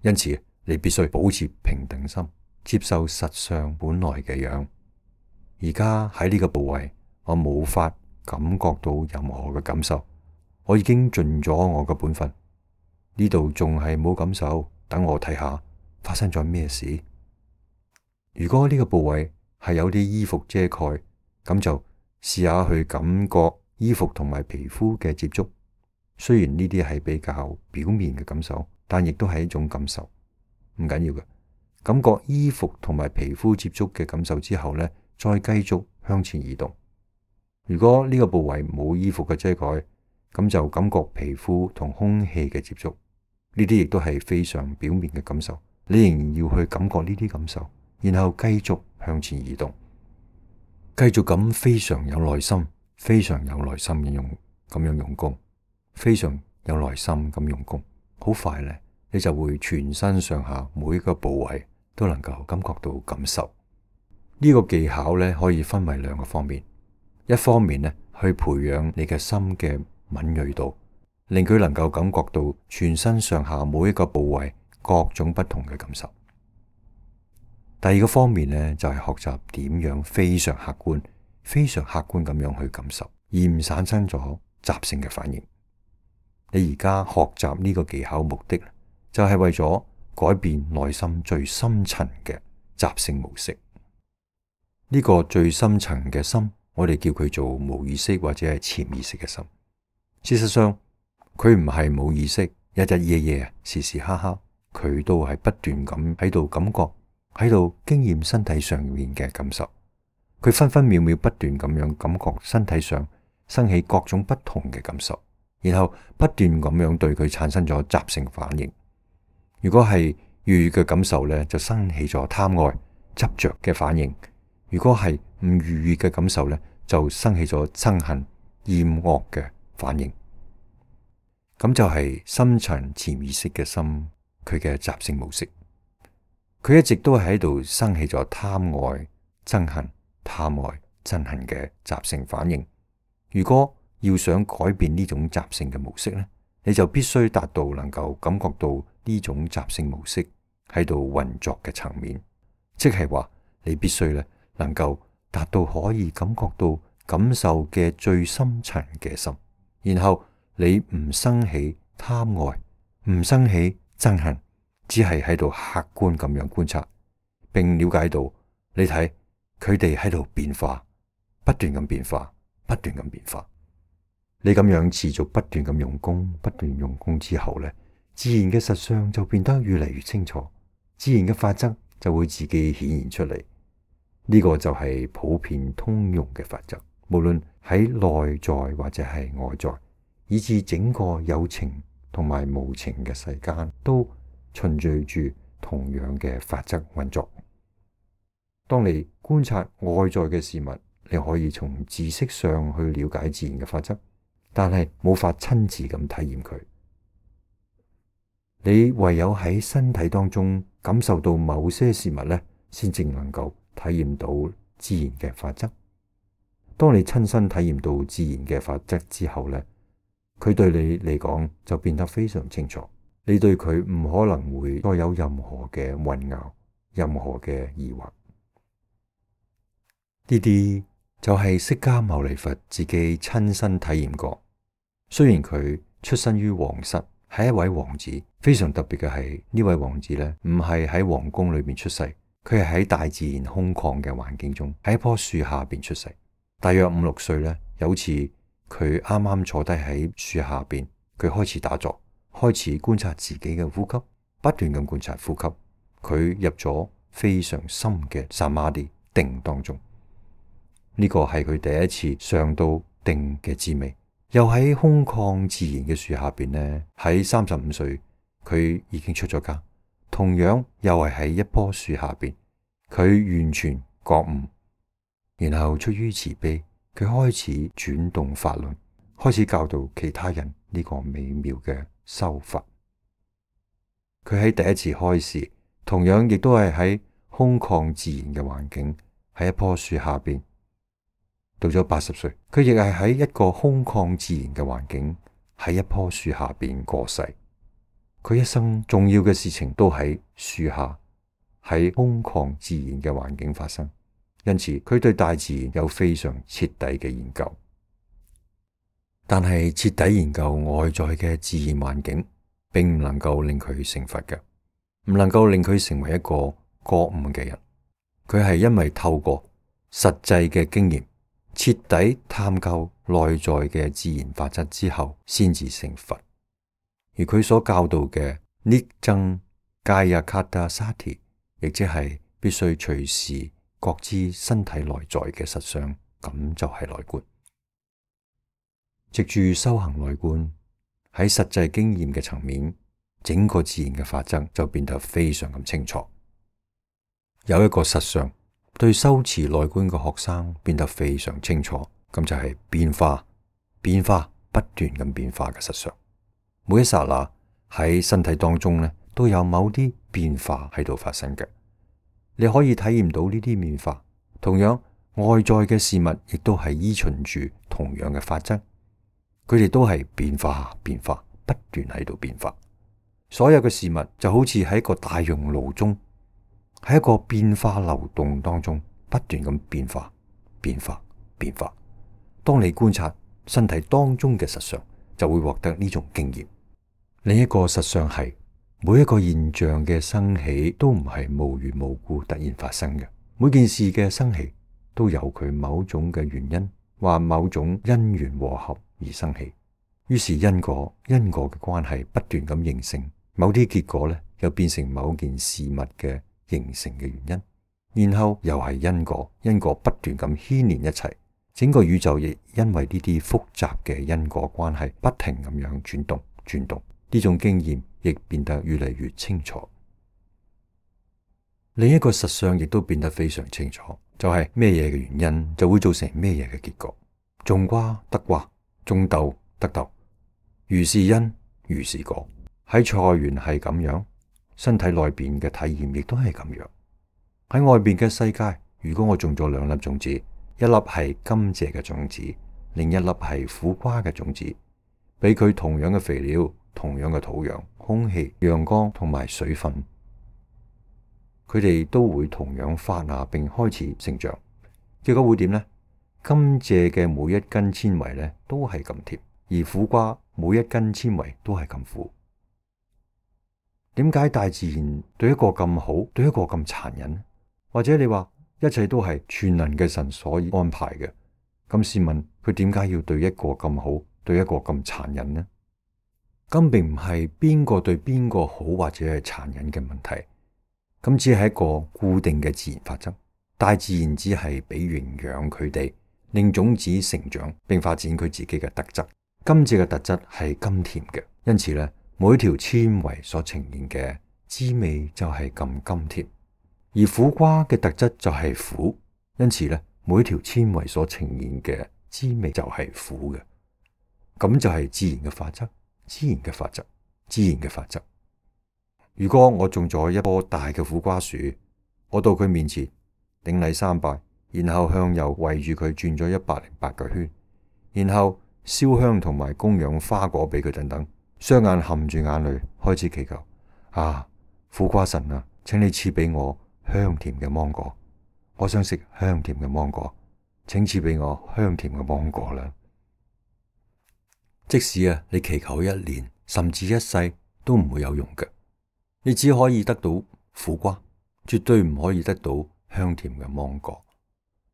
因此你必須保持平等心，接受實相本來嘅樣。而家喺呢個部位，我冇法感覺到任何嘅感受，我已經盡咗我嘅本分。呢度仲係冇感受，等我睇下發生咗咩事。如果呢個部位係有啲衣服遮蓋，咁就試下去感覺衣服同埋皮膚嘅接觸。雖然呢啲係比較表面嘅感受，但亦都係一種感受，唔緊要嘅。感覺衣服同埋皮膚接觸嘅感受之後呢，再繼續向前移動。如果呢個部位冇衣服嘅遮蓋，咁就感覺皮膚同空氣嘅接觸。呢啲亦都係非常表面嘅感受，你仍然要去感覺呢啲感受，然後繼續向前移動，繼續咁非常有耐心，非常有耐心咁用咁樣用功，非常有耐心咁用功，好快咧，你就會全身上下每一個部位都能夠感覺到感受。呢個技巧咧可以分為兩個方面，一方面咧去培養你嘅心嘅敏銳度，令佢能夠感覺到全身上下每一個部位各種不同嘅感受。第二個方面呢，就係學習點樣非常客觀、非常客觀咁樣去感受，而唔產生咗習性嘅反應。你而家學習呢個技巧目的，就係為咗改變內心最深層嘅習性模式。呢個最深層嘅心，我哋叫佢做無意識或者係潛意識嘅心。事實上，佢唔係冇意識，日日夜夜、時時刻刻，佢都係不斷咁喺度感覺，喺度經驗身體上面嘅感受。佢分分秒秒不斷咁樣感覺身體上生起各種不同嘅感受，然後不斷咁樣對佢產生咗習性反應。如果係愉悅嘅感受咧，就生起咗貪愛、執着嘅反應；如果係唔愉悅嘅感受咧，就生起咗憎恨、厭惡嘅反應。咁就係深層潛意識嘅心，佢嘅習性模式。佢一直都係喺度生起咗貪愛、憎恨、貪愛、憎恨嘅習性反應。如果要想改變呢種習性嘅模式咧，你就必須達到能夠感覺到呢種習性模式喺度運作嘅層面，即係話你必須咧能夠達到可以感覺到感受嘅最深層嘅心，然後你唔生起貪愛，唔生起憎恨，只係喺度客觀咁樣觀察，並了解到你睇佢哋喺度變化，不斷咁變化，不斷咁變化。你咁樣持續不斷咁用功，不斷用功之後咧，自然嘅實相就變得越嚟越清楚，自然嘅法則就會自己顯現出嚟。呢個就係普遍通用嘅法則，無論喺內在或者係外在，以至整個有情同埋無情嘅世間，都循序住同樣嘅法則運作。當你觀察外在嘅事物，你可以從知識上去了解自然嘅法則，但係冇法親自咁體驗佢。你唯有喺身體當中感受到某些事物咧，先至能夠體驗到自然嘅法則。當你親身體驗到自然嘅法則之後咧，佢對你嚟講就變得非常清楚。你對佢唔可能會再有任何嘅混淆，任何嘅疑惑。呢啲就係釋迦牟尼佛自己親身體驗過。雖然佢出身於皇室，係一位王子，非常特別嘅係呢位王子咧，唔係喺皇宮裏面出世，佢係喺大自然空曠嘅環境中，喺一棵樹下邊出世。大約五六歲咧，有次佢啱啱坐低喺樹下邊，佢開始打坐，開始觀察自己嘅呼吸，不斷咁觀察呼吸。佢入咗非常深嘅薩瑪迪定當中。呢個係佢第一次上到定嘅滋味。又喺空曠自然嘅樹下邊呢，喺三十五歲佢已經出咗家，同樣又係喺一棵樹下邊，佢完全覺悟，然後出於慈悲，佢開始轉動法輪，開始教導其他人呢個美妙嘅修法。佢喺第一次開示，同樣亦都係喺空曠自然嘅環境，喺一棵樹下邊。到咗八十歲，佢亦係喺一個空曠自然嘅環境，喺一棵樹下邊過世。佢一生重要嘅事情都喺樹下，喺空曠自然嘅環境發生，因此佢對大自然有非常徹底嘅研究。但係徹底研究外在嘅自然環境，並唔能夠令佢成佛嘅，唔能夠令佢成為一個覺悟嘅人。佢係因為透過實際嘅經驗，徹底探究內在嘅自然法則之後，先至成佛。而佢所教導嘅捏僧迦耶卡達沙提，亦即係必須隨時覺知身體內在嘅實相，咁就係內觀。藉住修行內觀，喺實際經驗嘅層面，整個自然嘅法則就變得非常咁清楚。有一個實相，對修持內觀嘅學生變得非常清楚，咁就係變化，變化不斷咁變化嘅實相。每一剎那喺身體當中咧，都有某啲變化喺度發生嘅。你可以體驗到呢啲變化。同樣，外在嘅事物亦都係依循住同樣嘅法則，佢哋都係變化，變化不斷喺度變化。所有嘅事物就好似喺一個大熔爐中，喺一個變化流動當中，不斷咁變化，變化，變化。當你觀察身體當中嘅實相，就會獲得呢種經驗。另一個實相係，每一個現象嘅生起都唔係無緣無故突然發生嘅，每件事嘅生起都有佢某種嘅原因，或某種因緣和合而生起。於是因果因果嘅關係不斷咁形成，某啲結果咧又變成某件事物嘅形成嘅原因，然後又係因果因果不斷咁牽連一齊，整個宇宙亦因為呢啲複雜嘅因果關係不停咁樣轉動轉動，呢種經驗亦變得越嚟越清楚。另一個實相亦都變得非常清楚，就係咩嘢嘅原因就會造成咩嘢嘅結果。種瓜得瓜，種豆得豆，如是因如是果。喺菜園係咁樣，身體內邊嘅體驗亦都係咁樣。喺外邊嘅世界，如果我種咗兩粒種子，一粒係甘蔗嘅種子，另一粒係苦瓜嘅種子，俾佢同樣嘅肥料、同樣嘅土壤、空氣、陽光同埋水分，佢哋都會同樣發芽並開始成長。結果會點呢？甘蔗嘅每一根纖維咧都係咁甜，而苦瓜每一根纖維都係咁苦。點解大自然對一個咁好，對一個咁殘忍？或者你話一切都係全能嘅神所安排嘅？咁試問佢點解要對一個咁好，對一個咁殘忍呢？咁並唔係邊個對邊個好或者係殘忍嘅問題，咁只係一個固定嘅自然法則。大自然只係俾營養佢哋，令種子成長並發展佢自己嘅特質。甘蔗嘅特質係甘甜嘅，因此咧，每一條纖維所呈現嘅滋味就係咁甘甜。而苦瓜嘅特質就係苦，因此咧，每一條纖維所呈現嘅滋味就係苦嘅。咁就係自然嘅法則，自然嘅法則，自然嘅法則。如果我種咗一棵大嘅苦瓜樹，我到佢面前頂禮三拜，然後向右圍住佢轉咗一百零八個圈，然後燒香同埋供養花果俾佢等等，雙眼含住眼淚開始祈求：啊，苦瓜神啊，請你賜俾我香甜嘅芒果，我想食香甜嘅芒果，請賜俾我香甜嘅芒果啦。即使啊，你祈求一年甚至一世都唔會有用嘅，你只可以得到苦瓜，絕對唔可以得到香甜嘅芒果。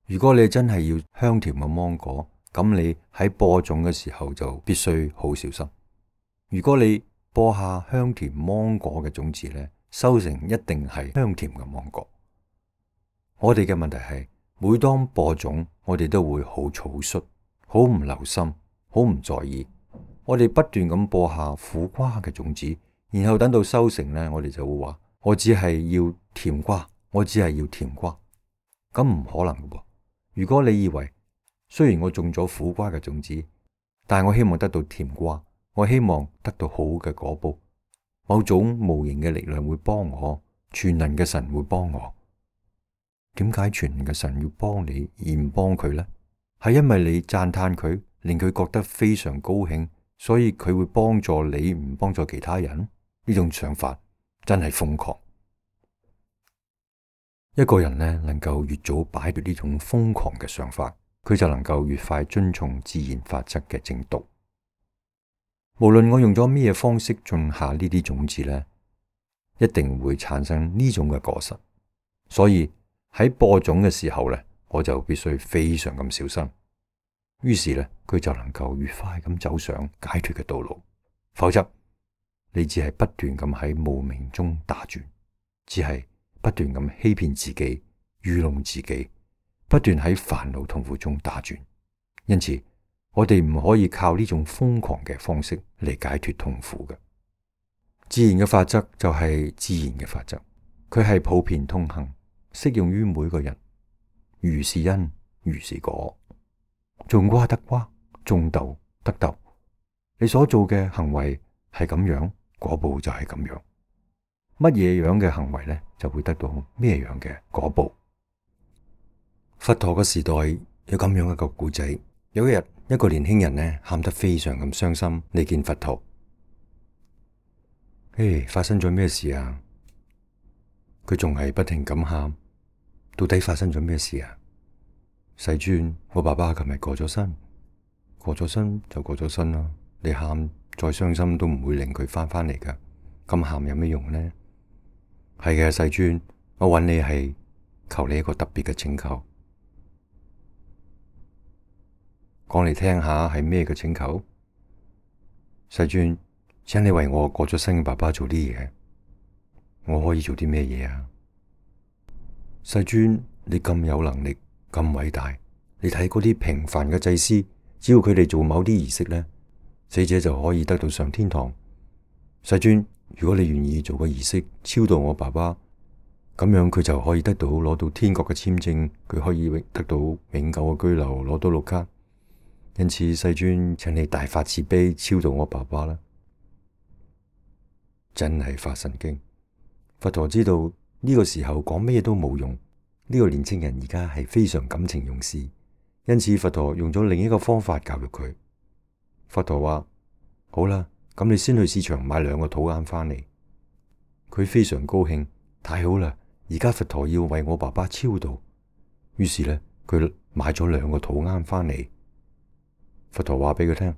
如果你真係要香甜嘅芒果，咁你喺播種嘅時候就必須好小心。如果你播下香甜芒果嘅種子咧，收成一定係香甜嘅芒果。我哋嘅問題係，每當播種，我哋都會好草率，好唔留心，好唔在意。我哋不斷咁播下苦瓜嘅種子，然後等到收成咧，我哋就會話：我只係要甜瓜，我只係要甜瓜。咁唔可能嘅噃。如果你以為雖然我種咗苦瓜嘅種子，但係我希望得到甜瓜，我希望得到好嘅果報，某種無形嘅力量會幫我，全能嘅神會幫我。點解全能嘅神要幫你而唔幫佢呢？係因為你讚嘆佢，令佢覺得非常高興，所以佢會幫助你，唔幫助其他人？呢種想法真係瘋狂。一個人呢，能夠越早擺脫呢種瘋狂嘅想法，佢就能夠越快遵從自然法則嘅正道。無論我用咗咩方式種下呢啲種子呢，一定會產生呢種嘅果實。所以喺播種嘅時候呢，我就必須非常咁小心。於是呢，佢就能夠越快咁走上解脫嘅道路。否則，你只係不斷咁喺無明中打轉，只係不斷咁欺騙自己、愚弄自己，不斷喺煩惱痛苦中打轉。因此，我哋唔可以靠呢種瘋狂嘅方式嚟解脫痛苦嘅。自然嘅法則就係自然嘅法則，佢係普遍通行，適用於每個人。如是因，如是果。種瓜得瓜，種豆得豆。你所做嘅行為係咁樣，果報就係咁樣。乜嘢樣嘅行為呢，就會得到咩樣嘅果報。佛陀嘅時代有咁樣一個故仔。有一日，一個年輕人呢，喊得非常咁傷心嚟見佛陀。誒，發生咗咩事啊？佢仲係不停咁喊，到底發生咗咩事啊？世尊，我爸爸琴日過咗身，過咗身就過咗身啦。你喊再傷心都唔會令佢翻返嚟噶，咁喊有咩用呢？係嘅，世尊，我揾你係求你一個特別嘅請求，講嚟聽下係咩嘅請求？世尊，請你為我過咗身嘅爸爸做啲嘢，我可以做啲咩嘢啊？世尊，你咁有能力，咁偉大，你睇嗰啲平凡嘅祭司，只要佢哋做某啲儀式呢，死者就可以得到上天堂。世尊，如果你願意做個儀式超度我爸爸，咁樣佢就可以得到攞到天國嘅簽證，佢可以得到永久嘅居留，攞到綠卡。因此，世尊，請你大發慈悲超度我爸爸啦！真係發神經。佛陀知道呢個時候講咩都冇用，呢個年青人而家係非常感情用事，因此佛陀用咗另一個方法教育佢。佛陀話：好啦，咁你先去市場買兩個土罌翻嚟。佢非常高興，太好啦！而家佛陀要為我爸爸超度，於是呢，佢買咗兩個土罌翻嚟。佛陀話俾佢聽，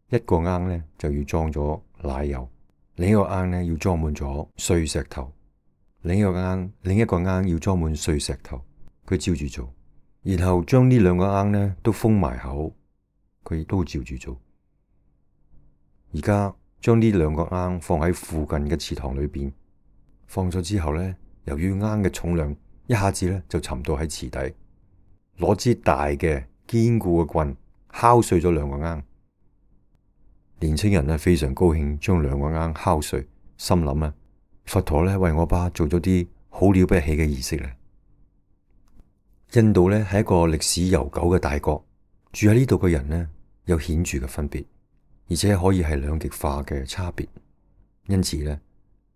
一個罌呢就要裝咗奶油，另一個罌呢要裝滿咗碎石頭，另一個罌另一個罌要裝滿碎石頭。佢照住做，然後將呢兩個罌呢都封埋口，佢亦都照住做。而家將呢兩個罌放喺附近嘅池塘裏邊，放咗之後呢，由於罌嘅重量，一下子呢就沉到喺池底。攞支大嘅堅固嘅棍敲碎咗兩個罌。年青人呢非常高興，將兩個罌敲碎，心諗啊，佛陀呢為我爸做咗啲好了不起嘅儀式咧。印度呢係一個歷史悠久嘅大國，住喺呢度嘅人呢有顯著嘅分別，而且可以係兩極化嘅差別。因此呢，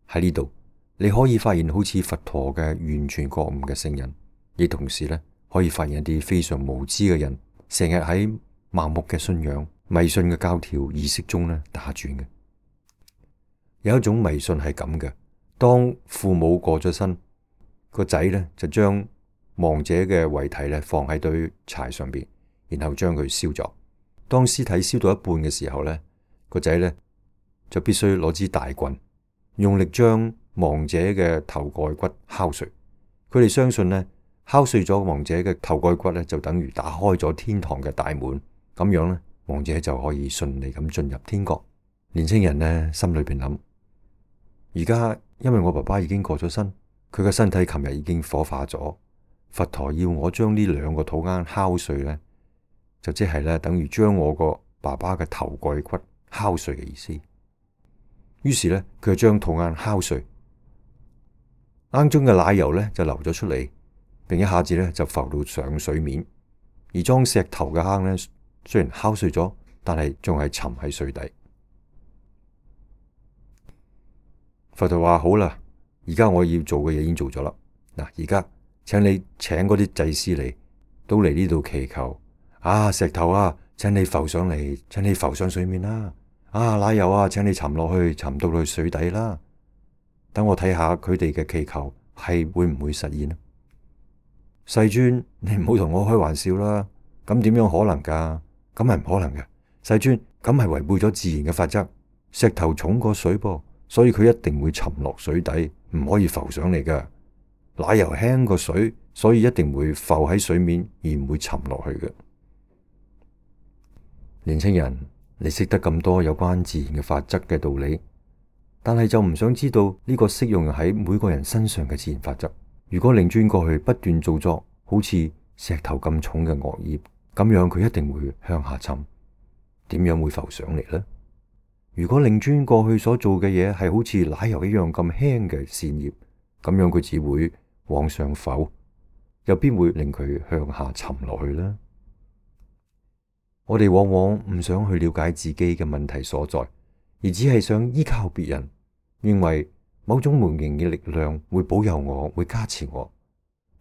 喺呢度你可以發現好似佛陀嘅完全覺悟嘅聖人，亦同時呢可以發現一啲非常無知嘅人，成日喺盲目嘅信仰、迷信嘅教條儀式中呢打轉嘅。有一種迷信係咁嘅，當父母過咗身，個仔呢就將亡者嘅遺體呢放喺堆柴上邊，然後將佢燒咗。當屍體燒到一半嘅時候呢，個仔呢就必須攞支大棍，用力將亡者嘅頭蓋骨敲碎。佢哋相信呢，敲碎咗亡者嘅頭蓋骨呢，就等於打開咗天堂嘅大門，咁樣呢，亡者就可以順利咁進入天國。年輕人呢，心裏邊諗，而家因為我爸爸已經過咗身，佢嘅身體琴日已經火化咗，佛陀要我將呢兩個土罌敲碎呢，就即係咧等於將我個爸爸嘅頭蓋骨敲碎嘅意思。於是呢，佢就將土罌敲碎，罌中嘅奶油呢就流咗出嚟，並一下子呢就浮到上水面。而裝石頭嘅罌呢，雖然敲碎咗，但係仲係沉喺水底。佛陀話：好啦，而家我要做嘅嘢已經做咗啦。嗱，而家請你請嗰啲祭司嚟，都嚟呢度祈求。啊，石頭啊，請你浮上嚟，請你浮上水面啦。啊，奶油啊，請你沉落去，沉到去水底啦。等我睇下佢哋嘅祈求係會唔會實現啊？世尊，你唔好同我開玩笑啦。咁點樣可能噶？咁係唔可能嘅。世尊，咁係違背咗自然嘅法則。石頭重過水噃，所以佢一定會沉落水底，唔可以浮上嚟噶。奶油輕過水，所以一定會浮喺水面，而唔會沉落去嘅。年輕人，你識得咁多有關自然嘅法則嘅道理，但係就唔想知道呢個適用喺每個人身上嘅自然法則。如果令尊過去不斷做作好似石頭咁重嘅惡業，咁樣佢一定會向下沉，點樣會浮上嚟呢？如果令尊過去所做嘅嘢係好似奶油一樣咁輕嘅善業，咁樣佢只會往上浮，又邊會令佢向下沉落去呢？我哋往往唔想去了解自己嘅問題所在，而只係想依靠別人，認為某種無形嘅力量會保佑我，會加持我。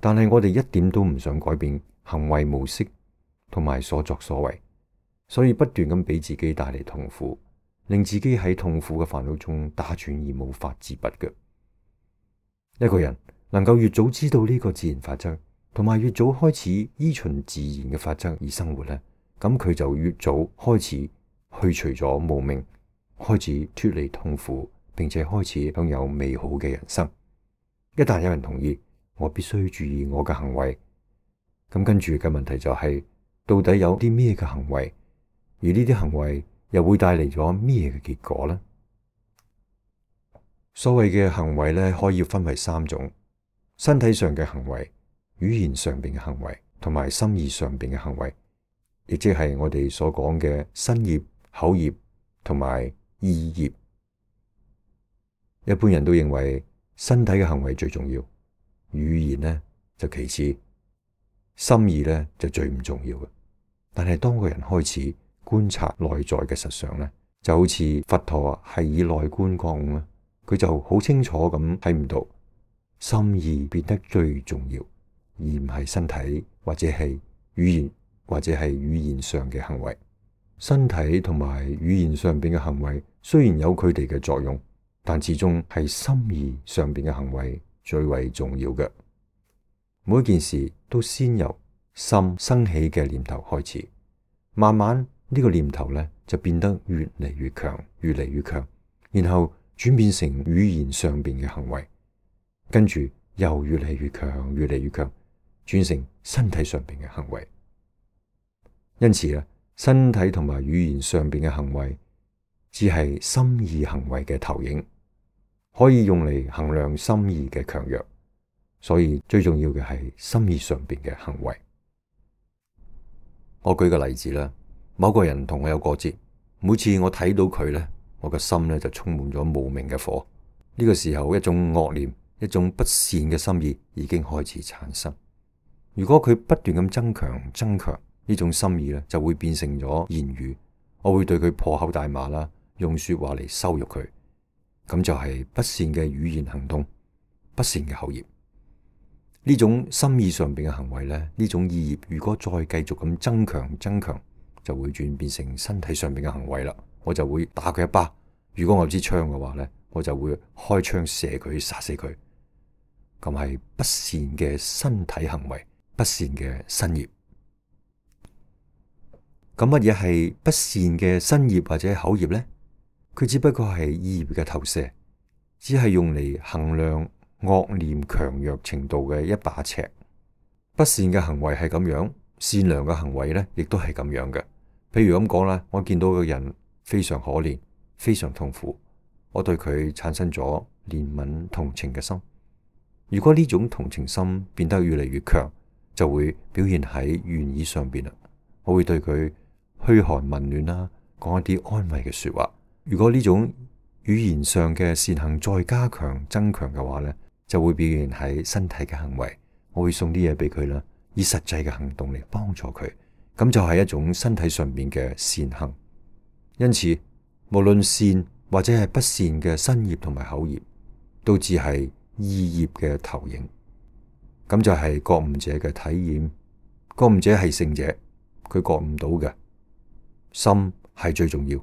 但係我哋一點都唔想改變行為模式同埋所作所為，所以不斷咁俾自己帶嚟痛苦，令自己喺痛苦嘅煩惱中打轉而無法自拔嘅。一個人能夠越早知道呢個自然法則，同埋越早開始依循自然嘅法則而生活咧，咁佢就越早開始去除咗無明，開始脫離痛苦，並且開始享有美好嘅人生。一旦有人同意，我必須注意我嘅行為，咁跟住嘅問題就係，到底有啲咩嘅行為，而呢啲行為又會帶嚟咗咩嘅結果呢？所謂嘅行為咧，可以分為三種：身體上嘅行為、語言上邊嘅行為，同埋心意上邊嘅行為，亦即係我哋所講嘅身業、口業同埋意業。一般人都認為身體嘅行為最重要，語言呢就其次，心意呢就最唔重要嘅。但係當個人開始觀察內在嘅實相呢，就好似佛陀係以內觀覺悟啦，佢就好清楚咁睇唔到心意變得最重要，而唔係身體或者係語言或者係語言上嘅行為。身體同埋語言上邊嘅行為雖然有佢哋嘅作用，但始終係心意上邊嘅行為最為重要嘅。每一件事都先由心生起嘅念頭開始，慢慢呢個念頭咧就變得越嚟越強，越嚟越強，然後轉變成語言上邊嘅行為，跟住又越嚟越強，越嚟越強，轉成身體上邊嘅行為。因此咧，身體同埋語言上邊嘅行為只係心意行為嘅投影，可以用嚟衡量心意嘅強弱。所以最重要嘅係心意上邊嘅行為。我舉個例子啦，某個人同我有過節，每次我睇到佢咧，我個心咧就充滿咗無明嘅火。呢個時候，一種惡念、一種不善嘅心意已經開始產生。如果佢不斷咁增強、增強呢種心意咧，就會變成咗言語。我會對佢破口大罵啦，用說話嚟羞辱佢，咁就係不善嘅語言行動，不善嘅口業。呢種心意上邊嘅行為咧，呢種意業如果再繼續咁增強增強，就會轉變成身體上邊嘅行為啦。我就會打佢一巴，如果我有支槍嘅話咧，我就會開槍射佢，殺死佢。咁係不善嘅身體行為，不善嘅身業。咁乜嘢係不善嘅身業或者口業咧？佢只不過係意業嘅投射，只係用嚟衡量惡念強弱程度嘅一把尺。不善嘅行為係咁樣，善良嘅行為咧，亦都係咁樣嘅。譬如咁講啦，我見到個人非常可憐，非常痛苦，我對佢產生咗憐憫同情嘅心。如果呢種同情心變得越嚟越強，就會表現喺語言上邊啦。我會對佢噓寒問暖啦，講一啲安慰嘅說話。如果呢種語言上嘅善行再加強增強嘅話咧，就會表現喺身體嘅行為。我會送啲嘢俾佢啦，以實際嘅行動嚟幫助佢，咁就係一種身體上面嘅善行。因此，無論善或者係不善嘅身業同埋口業，都只係意業嘅投影。咁就係覺悟者嘅體驗。覺悟者係聖者，佢覺悟到嘅心係最重要。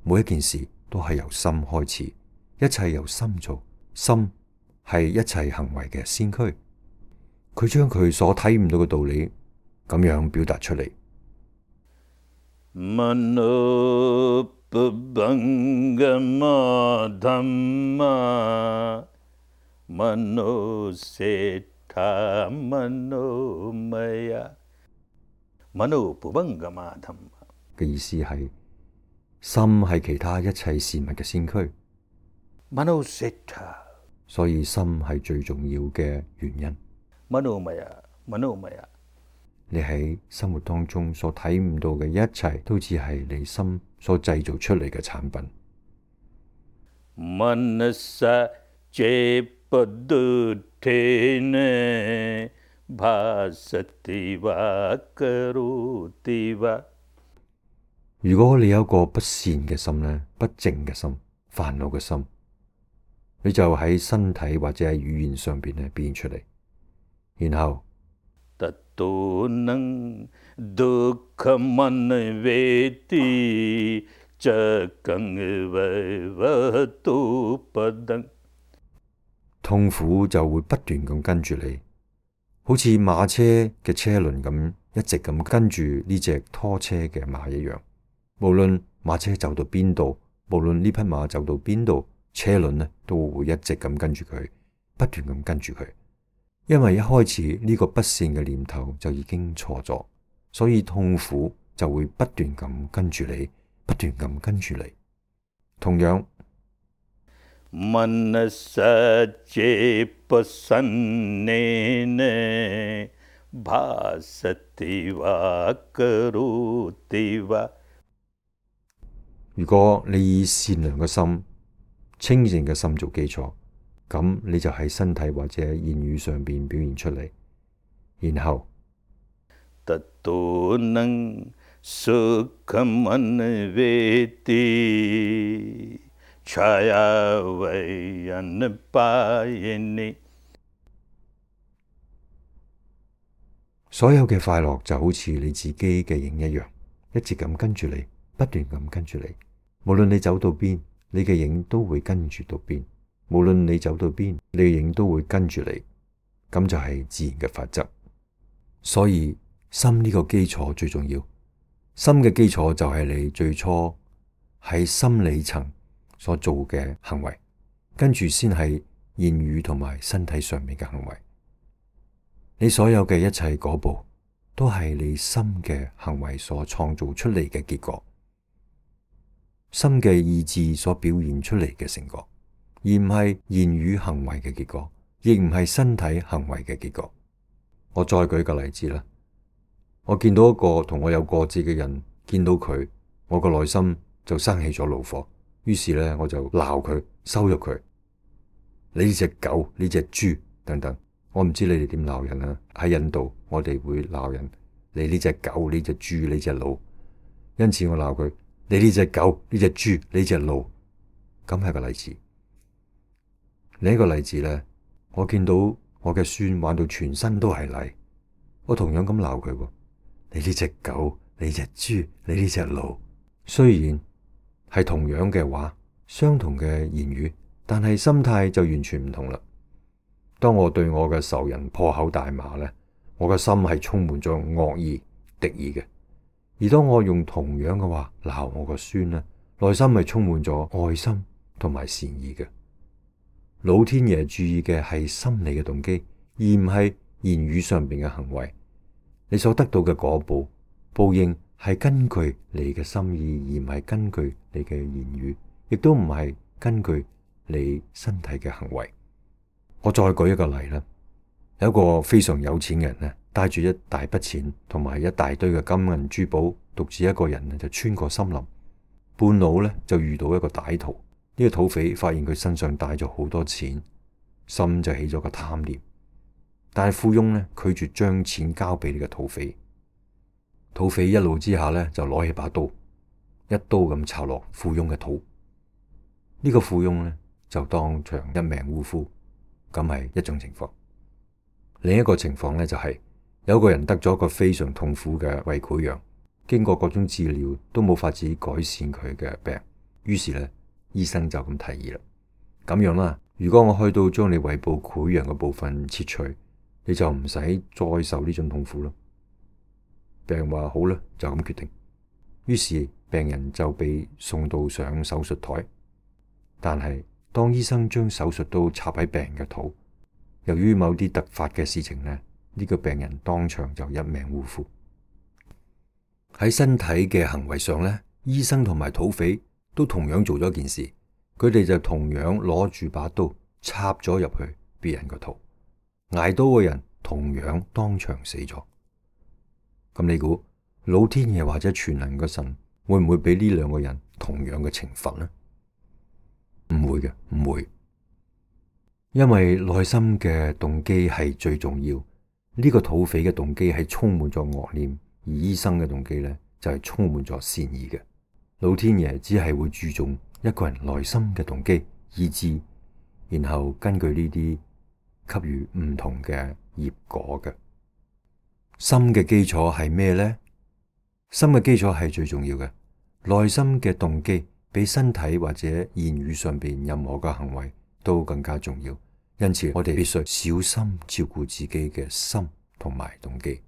每一件事都係由心開始，一切由心做，心係一切行為嘅先驅。佢將佢所睇唔到嘅道理咁樣表達出嚟。Mano pabangama dhamma mano seta mano maya mano pabangama dhamma 嘅意思係心係其他一切事物嘅先驅。Mano seta， 所以心係最重要嘅原因。Mano maya mano maya，你喺生活當中所睇唔到嘅一切，都只係你心所製造出嚟嘅產品。Manasa jepadutene bhasati va karoti va，如果你有一個不善嘅心咧，不正嘅心，煩惱嘅心，你就喺身體或者喺語言上邊咧表現出嚟，然後ततो नං दुःखमन्वेति चकं वैवतो पदं，痛苦就會不斷咁跟住你，好似馬車嘅車輪咁，一直咁跟住呢隻拖車嘅馬一樣。無論馬車走到邊度，無論呢匹馬走到邊度，車輪呢都會一直咁跟住佢，不斷咁跟住佢。因為一開始呢個不善嘅念頭就已經錯咗，所以痛苦就會不斷咁跟住你，不斷咁跟住你。同樣मनसच्चेपसन्नेन भासति वा करोति वा，如果你以善良嘅心、清淨嘅心做基礎，咁你就喺身體或者言語上邊表現出嚟，然後ततो नං सुखमन्वेति छाया वै अनपायिनी，所有嘅快樂就好似你自己嘅影一樣，一直咁跟住你，不斷咁跟住你。無論你走到邊，你嘅影都會跟住到邊；無論你走到邊，你嘅影都會跟住你。咁就係自然嘅法則。所以心呢個基礎最重要，心嘅基礎就係你最初喺心理層所做嘅行為，跟住先係言語同埋身體上面嘅行為。你所有嘅一切果報，都係你心嘅行為所創造出嚟嘅結果，心嘅意志所表現出嚟嘅成果，而唔係言語行為嘅結果，亦唔係身體行為嘅結果。我再舉個例子啦，我見到一個同我有過節嘅人，見到佢，我個內心就生起咗怒火，於是咧我就鬧佢，羞辱佢，你呢隻狗，呢隻豬等等。我唔知你哋點鬧人啦，喺印度我哋會鬧人，你呢隻狗，呢隻豬，呢隻鹿，因此我鬧佢，你呢隻狗，呢隻豬，呢隻鹿，咁係個例子。另一個例子咧，我見到我嘅孫玩到全身都係泥，我同樣咁鬧佢，你呢隻狗，你呢隻豬，你呢隻鹿。雖然係同樣嘅話，相同嘅言語，但係心態就完全唔同啦。當我對我嘅仇人破口大罵咧，我嘅心係充滿咗惡意、敵意嘅；而當我用同樣嘅話鬧我個孫咧，內心係充滿咗愛心同埋善意嘅。老天爺注意嘅係心理嘅動機，而唔係言語上邊嘅行為。你所得到嘅果報報應係根據你嘅心意，而唔係根據你嘅言語，亦都唔係根據你身體嘅行為。我再舉一個例啦，有一個非常有錢嘅人咧，帶住一大筆錢同埋一大堆嘅金銀珠寶，獨自一個人咧就穿過森林，半路咧就遇到一個歹徒。呢個土匪發現佢身上帶咗好多錢，心就起咗個貪念，但係富翁咧拒絕將錢交俾呢個土匪。土匪一怒之下咧就攞起把刀，一刀咁插落富翁嘅肚。呢個富翁咧就當場一命嗚呼。咁係一種情況。另一個情況咧就係有個人得咗一個非常痛苦嘅胃潰瘍，經過各種治療都冇法子改善佢嘅病，於是咧醫生就咁提議啦，咁樣啦，如果我開刀將你胃部潰瘍嘅部分切除，你就唔使再受呢種痛苦咯。病人話好啦，就咁決定。於是病人就被送到上手術台，但係當醫生將手術刀插喺病人嘅肚，由於某啲突發嘅事情呢，呢、呢個病人當場就一命嗚呼。喺身體嘅行為上呢，醫生同埋土匪都同樣做咗件事，佢哋就同樣攞住把刀插咗入去別人個肚，挨刀嘅人同樣當場死咗。咁你估老天爺或者全能嘅神會唔會俾呢兩個人同樣嘅懲罰呢？唔會嘅，唔會，因為內心嘅動機係最重要。呢個土匪嘅動機係充滿咗惡念，而醫生嘅動機呢就係充滿咗善意嘅。老天爺只係會注重一個人內心嘅動機、意志，然後根據呢啲給予唔同嘅業果嘅。心嘅基礎係咩呢？心嘅基礎係最重要嘅，內心嘅動機比身體或者言語上邊任何嘅行為都更加重要。因此，我哋必須小心照顧自己嘅心同埋動機。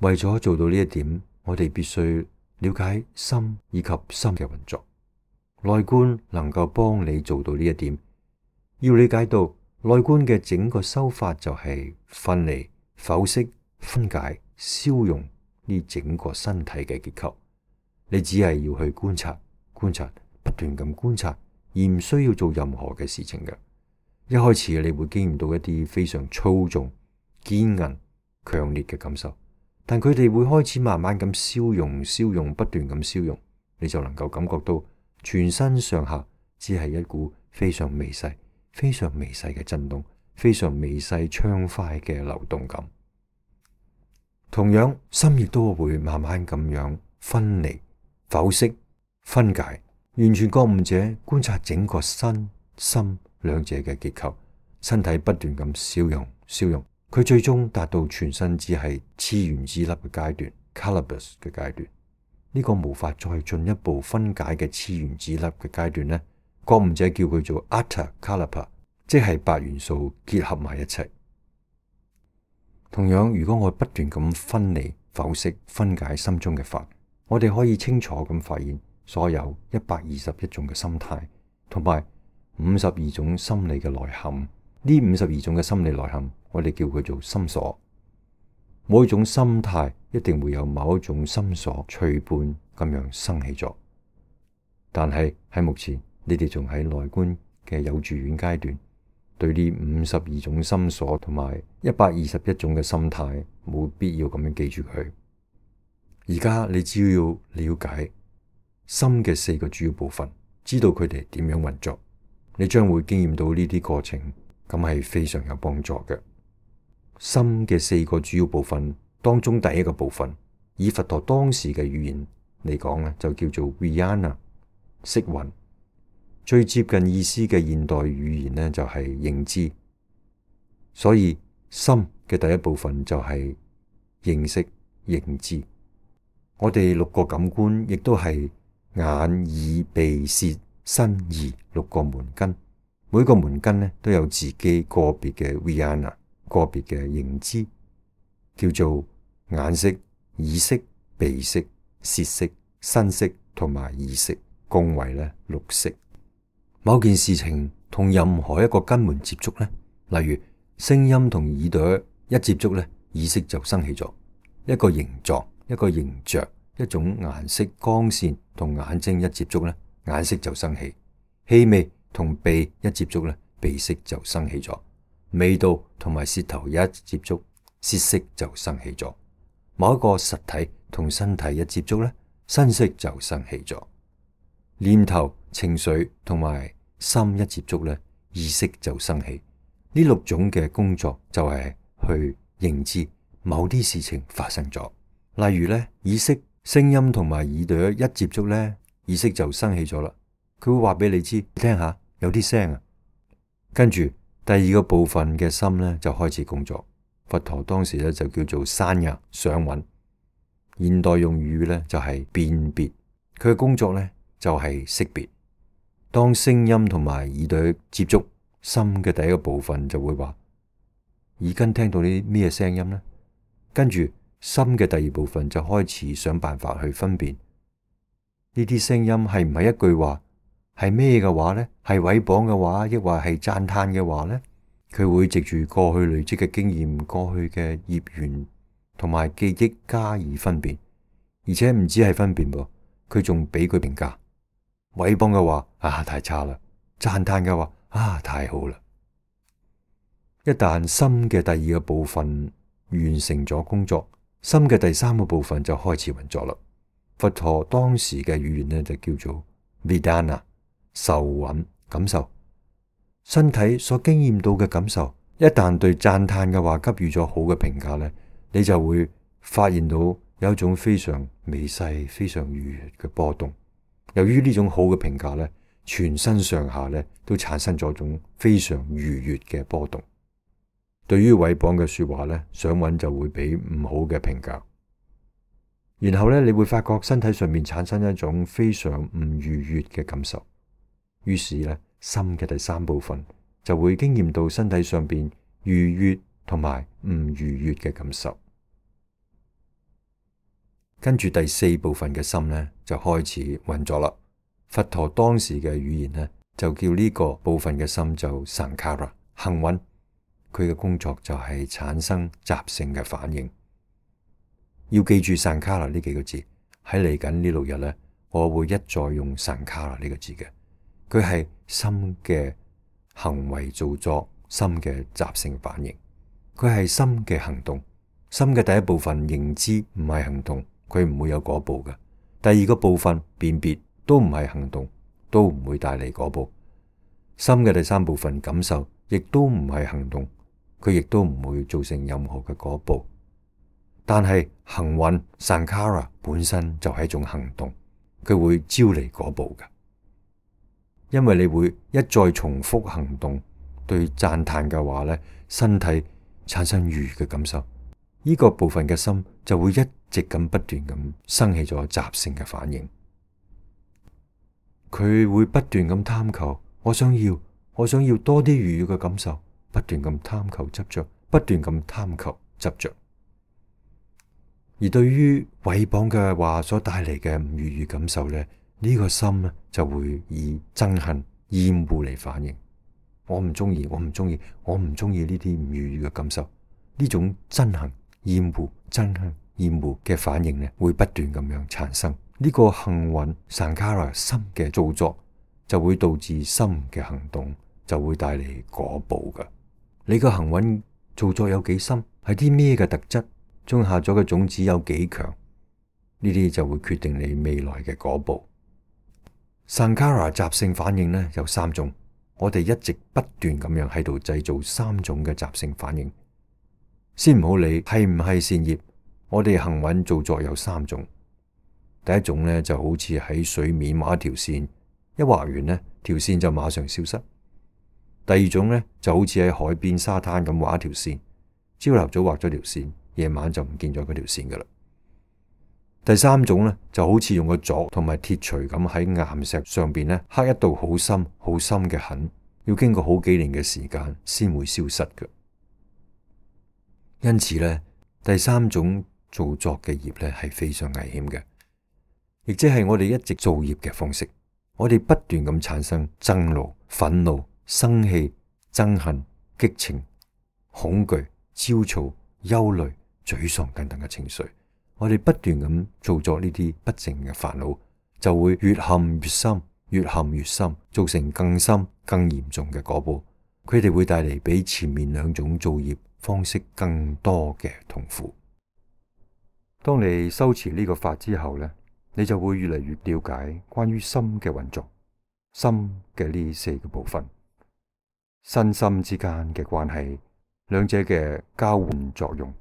為咗做到呢一點，我哋必須了解心以及心嘅運作。內觀能夠幫你做到呢一點。要理解到內觀嘅整個修法就係分離、剖析、分解、消融呢整個身體嘅結構。你只係要去觀察、觀察、不斷咁觀察，而唔需要做任何嘅事情嘅。一開始你會經驗到一啲非常粗重、堅韌、強烈嘅感受，但佢哋會開始慢慢咁消融、消融、不斷咁消融，你就能夠感覺到全身上下只係一股非常微細、非常微細嘅震動，非常微細暢快嘅流動感。同樣，心亦都會慢慢咁樣分離、剖析、分解。完全覺悟者觀察整個身心兩者嘅結構，身體不斷咁消融、消融，佢最終達到全身只係次原子粒嘅階段 （Calibus 嘅階段）。呢個無法再進一步分解嘅次原子粒嘅階段呢，覺悟者叫佢做 Atta Kalpa， 即係八元素結合埋一齊。同樣，如果我不斷咁分離、剖析、分解心中嘅法，我哋可以清楚咁發現所有一百二十一種嘅心態，同埋五十二種心理嘅內涵。呢五十二種嘅心理內涵，我哋叫佢做心所。每一種心態一定會有某一種心所隨伴咁樣生起咗。但係喺目前，你哋仲喺內觀嘅有住院階段，對呢五十二種心所同埋一百二十一種嘅心態，冇必要咁樣記住佢。而家你只要了解心嘅四個主要部分，知道佢哋點樣運作，你將會經驗到呢啲過程，咁係非常有幫助嘅。心嘅四個主要部分當中，第一個部分以佛陀當時嘅語言嚟講咧，就叫做 Vijnana 色蘊。最接近意思嘅現代語言呢，就係認知。所以心嘅第一部分就係認識、認知。我哋六個感官亦都係眼、耳、鼻、舌、身、意六個門根，每個門根呢都有自己個別嘅 Vijnana， 個別嘅認知，叫做眼識、耳識、鼻識、舌識、身識同埋意識，共為咧六識。某件事情同任何一個根門接觸呢，例如聲音同耳朵一接觸呢，意識就生起咗。一個形狀、一個形象、一種顏色、光線同眼睛一接觸呢，眼識就生起。氣味同鼻一接觸呢，鼻識就生起咗。味道同埋舌頭一接觸，舌識就生起咗。某一個實體同身體一接觸呢，身識就生起咗。念頭、情緒同埋心一接觸呢，意識就生起。呢六種嘅工作就係去認知某啲事情發生咗。例如呢，耳識、聲音同埋耳朵一接觸呢，意識就生起咗啦。佢會話俾你知，你聽下有啲聲啊。跟住第二個部分嘅心呢，就開始工作。佛陀當時呢，就叫做山呀想蘊，現代用語呢，就係辨別。佢嘅工作呢，就係識別。當聲音同埋耳朵接觸，心嘅第一個部分就會話耳根聽到啲咩聲音呢？跟住心嘅第二部分就開始想辦法去分辨呢啲聲音係唔係一句話，係咩嘅話呢？係毀謗嘅話，抑或係讚嘆嘅話呢？佢會藉住過去累積嘅經驗、過去嘅業緣同埋記憶加以分辨，而且唔止係分辨噃，佢仲俾佢評價。毀謗嘅話啊，太差啦；讚嘆嘅話啊，太好啦。一旦心嘅第二個部分完成咗工作，心嘅第三個部分就開始運作啦。佛陀當時嘅語言呢，就叫做 Vedana 受蘊感受。身體所經驗到嘅感受，一旦對讚嘆嘅話給予咗好嘅評價呢，你就會發現到有一種非常微細、非常愉悅嘅波動。由於呢種好嘅評價呢，全身上下呢都產生咗種非常愉悅嘅波動。對於毀謗嘅說話呢，想揾就會俾唔好嘅評價。然後呢，你會發覺身體上面產生一種非常唔愉悅嘅感受。於是呢，心嘅第三部分就會經驗到身體上邊愉悅同埋唔愉悅嘅感受。跟住第四部分嘅心呢，就開始運作啦。佛陀當時嘅語言呢，就叫呢個部分嘅心就 Sankhara 行運。佢嘅工作就係產生習性嘅反應。要記住 Sankhara 呢幾個字，喺嚟緊呢六日呢，我會一再用 Sankhara 呢個字嘅。佢係心嘅行為造作，心嘅習性反應。佢係心嘅行動。心嘅第一部分認知唔係行動，佢唔會有嗰步嘅。第二個部分辨別都唔係行動，都唔會帶嚟嗰步。心嘅第三部分感受亦都唔係行動，佢亦都唔會造成任何嘅嗰步。但係行運 Sankhara 本身就係一種行動，佢會招嚟嗰步嘅。因為你會一再重複行動，對讚嘆嘅話呢，身體產生愉悅嘅感受，呢個部分嘅心就會一直咁不斷咁生起咗習性嘅反應。佢會不斷咁貪求，我想要，我想要多啲愉悅嘅感受，不斷咁貪求執着，不斷咁貪求執着。而對於毀謗嘅話所帶嚟嘅唔愉悅感受呢，呢個心呢就會以憎恨、厭惡嚟反應。我唔中意，我唔中意，我唔中意呢啲唔愉悅嘅感受。呢種憎恨、厭惡、憎恨、厭惡嘅反應呢，會不斷咁樣產生。呢個行運 Sankhara 心嘅造作，就會導致心嘅行動，就會帶嚟果報噶。你個行運造作有幾深，係啲咩嘅特質，種下咗嘅種子有幾強，呢啲就會決定你未來嘅果報。Sankhara 習性反應呢有三種，我哋一直不斷咁樣喺度製造三種嘅習性反應。先唔好理係唔係善業，我哋行運造作有三種。第一種呢就好似喺水面畫一條線，一畫完呢條線就馬上消失。第二種呢就好似喺海邊沙灘咁畫一條線，朝頭早畫咗條線，夜晚就唔見咗嗰條線噶啦。第三種呢就好似用個鑿同埋鐵錘咁喺岩石上邊呢刻一道好深好深嘅痕，要經過好幾年嘅時間先會消失嘅。因此呢，第三種造作嘅業呢係非常危險嘅，亦即係我哋一直造業嘅方式。我哋不斷咁產生憎怒、憤怒、生氣、憎恨、激情、恐懼、焦躁、憂慮、沮喪等等嘅情緒。我哋不斷咁造作呢啲不淨嘅煩惱，就會越陷越深，越陷越深，造成更深、更嚴重嘅果報。佢哋會帶嚟比前面兩種造業方式更多嘅痛苦。當你修持呢個法之後呢，你就會越嚟越了解關於心嘅運作，心嘅呢四個部分，身心之間嘅關係，兩者嘅交換作用，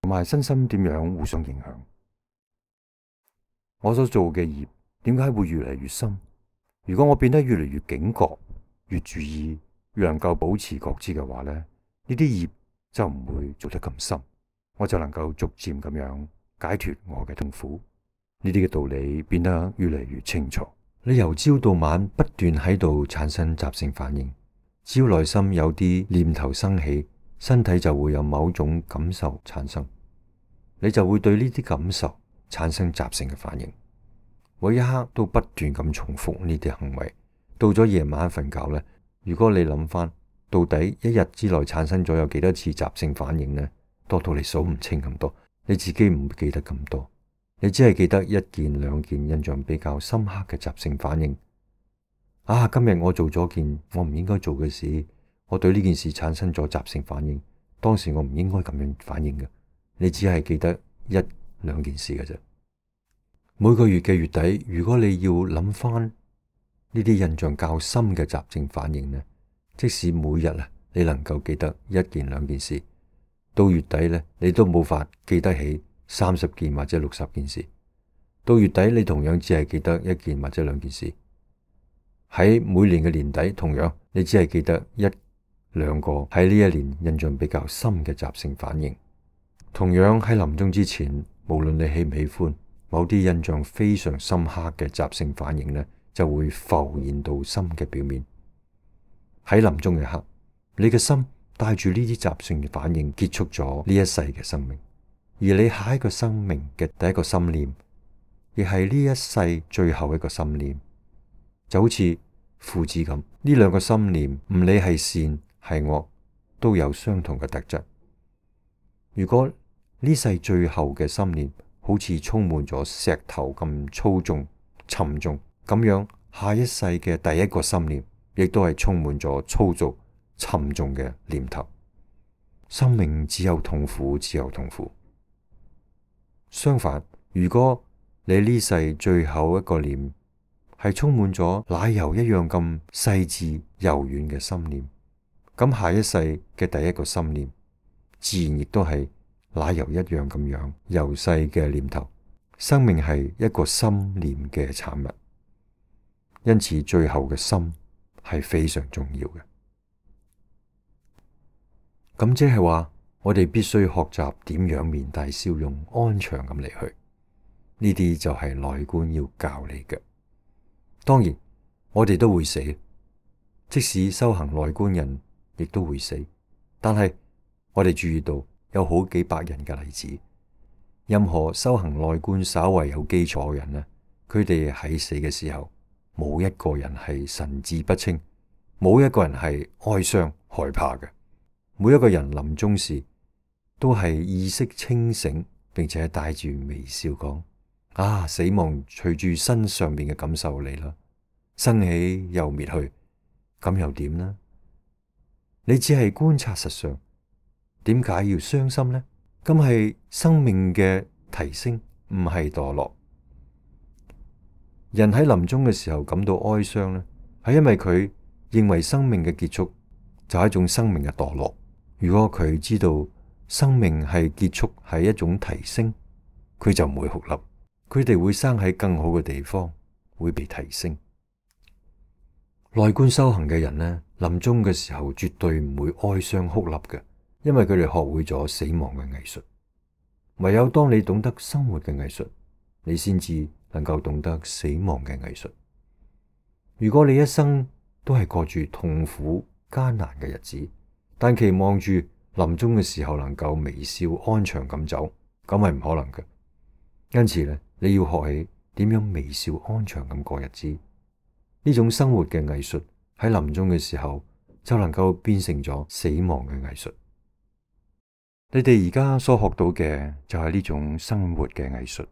同埋身心點樣互相影響。我所做嘅業點解會越嚟越深？如果我變得越嚟越警覺，越注意，越能夠保持覺知嘅話呢，呢啲業就唔會做得咁深，我就能夠逐漸咁樣解脫我嘅痛苦。呢啲嘅道理變得越嚟越清楚。你由朝到晚不斷喺度產生習性反應，只要內心有啲念頭生起，身體就會有某種感受產生，你就會對呢啲感受產生習性嘅反應。每一刻都不斷咁重複呢啲行為，到咗夜晚瞓覺呢，如果你諗翻到底一日之內產生咗有幾多次習性反應呢？多到你數唔清咁多，你自己唔記得咁多，你只係記得一件兩件印象比較深刻嘅習性反應。啊，今日我做咗件我唔應該做嘅事，我對呢件事產生咗習性反應，當時我唔應該咁樣反應嘅。你只係記得一兩件事嘅啫。每個月嘅月底，如果你要諗翻呢啲印象較深嘅習性反應呢，即使每日啊你能夠記得一件兩件事，到月底呢，你都冇法記得起三十件或者六十件事，到月底你同樣只係記得一件或者兩件事。喺每年嘅年底，同樣你只係記得一兩個喺呢一年印象比較深嘅習性反應。同樣喺臨終之前，無論你喜唔喜歡，某啲印象非常深刻嘅習性反應呢，就會浮現到心嘅表面。喺臨終嘅刻，你嘅心帶住呢啲習性嘅反應結束咗呢一世嘅生命，而你下一個生命嘅第一個心念，亦係呢一世最後一個心念，就好似父子咁，呢兩個心念唔理係善係惡，都有相同嘅特質。如果呢世最後嘅心念好似充滿咗石頭咁粗重沉重，咁樣下一世嘅第一個心念亦都係充滿咗粗俗沉重嘅念頭。生命只有痛苦，只有痛苦。相反，如果你呢世最後一個念係充滿咗奶油一樣咁細緻柔軟嘅心念，咁下一世嘅第一個心念自然亦都係奶油一樣咁樣柔細嘅念頭。生命係一個心念嘅產物，因此最後嘅心係非常重要嘅。咁即係話，我哋必須學習點樣面帶笑容，安詳咁離去。呢啲就係內觀要教你嘅。當然，我哋都會死，即使修行內觀人亦都會死。但係我哋注意到有好幾百人嘅例子，任何修行內觀稍為有基礎嘅人呢，佢哋喺死嘅時候，冇一個人係神志不清，冇一個人係哀傷害怕嘅。每一個人臨終時都係意識清醒，並且帶住微笑講：啊，死亡隨住身上面嘅感受嚟啦，生起又滅去，咁又點呢？你只係觀察實相，點解要傷心呢？咁係生命嘅提升，唔係墮落。人喺臨終嘅時候感到哀傷呢，係因為佢認為生命嘅結束就係一種生命嘅墮落。如果佢知道生命係結束係一種提升，佢就唔會哭泣，佢哋會生喺更好嘅地方，會被提升。內觀修行嘅人呢，臨終嘅時候絕對唔會哀傷哭泣嘅，因為佢哋學會咗死亡嘅藝術。唯有當你懂得生活嘅藝術，你先至能夠懂得死亡嘅藝術。如果你一生都係過住痛苦艱難嘅日子，但期望住臨終嘅時候能夠微笑安詳咁走，咁係唔可能嘅。因此咧，你要學起點樣微笑安詳咁過日子。呢種生活嘅藝術喺臨終嘅時候就能夠變成咗死亡嘅藝術。你哋而家所學到嘅就係呢種生活嘅藝術。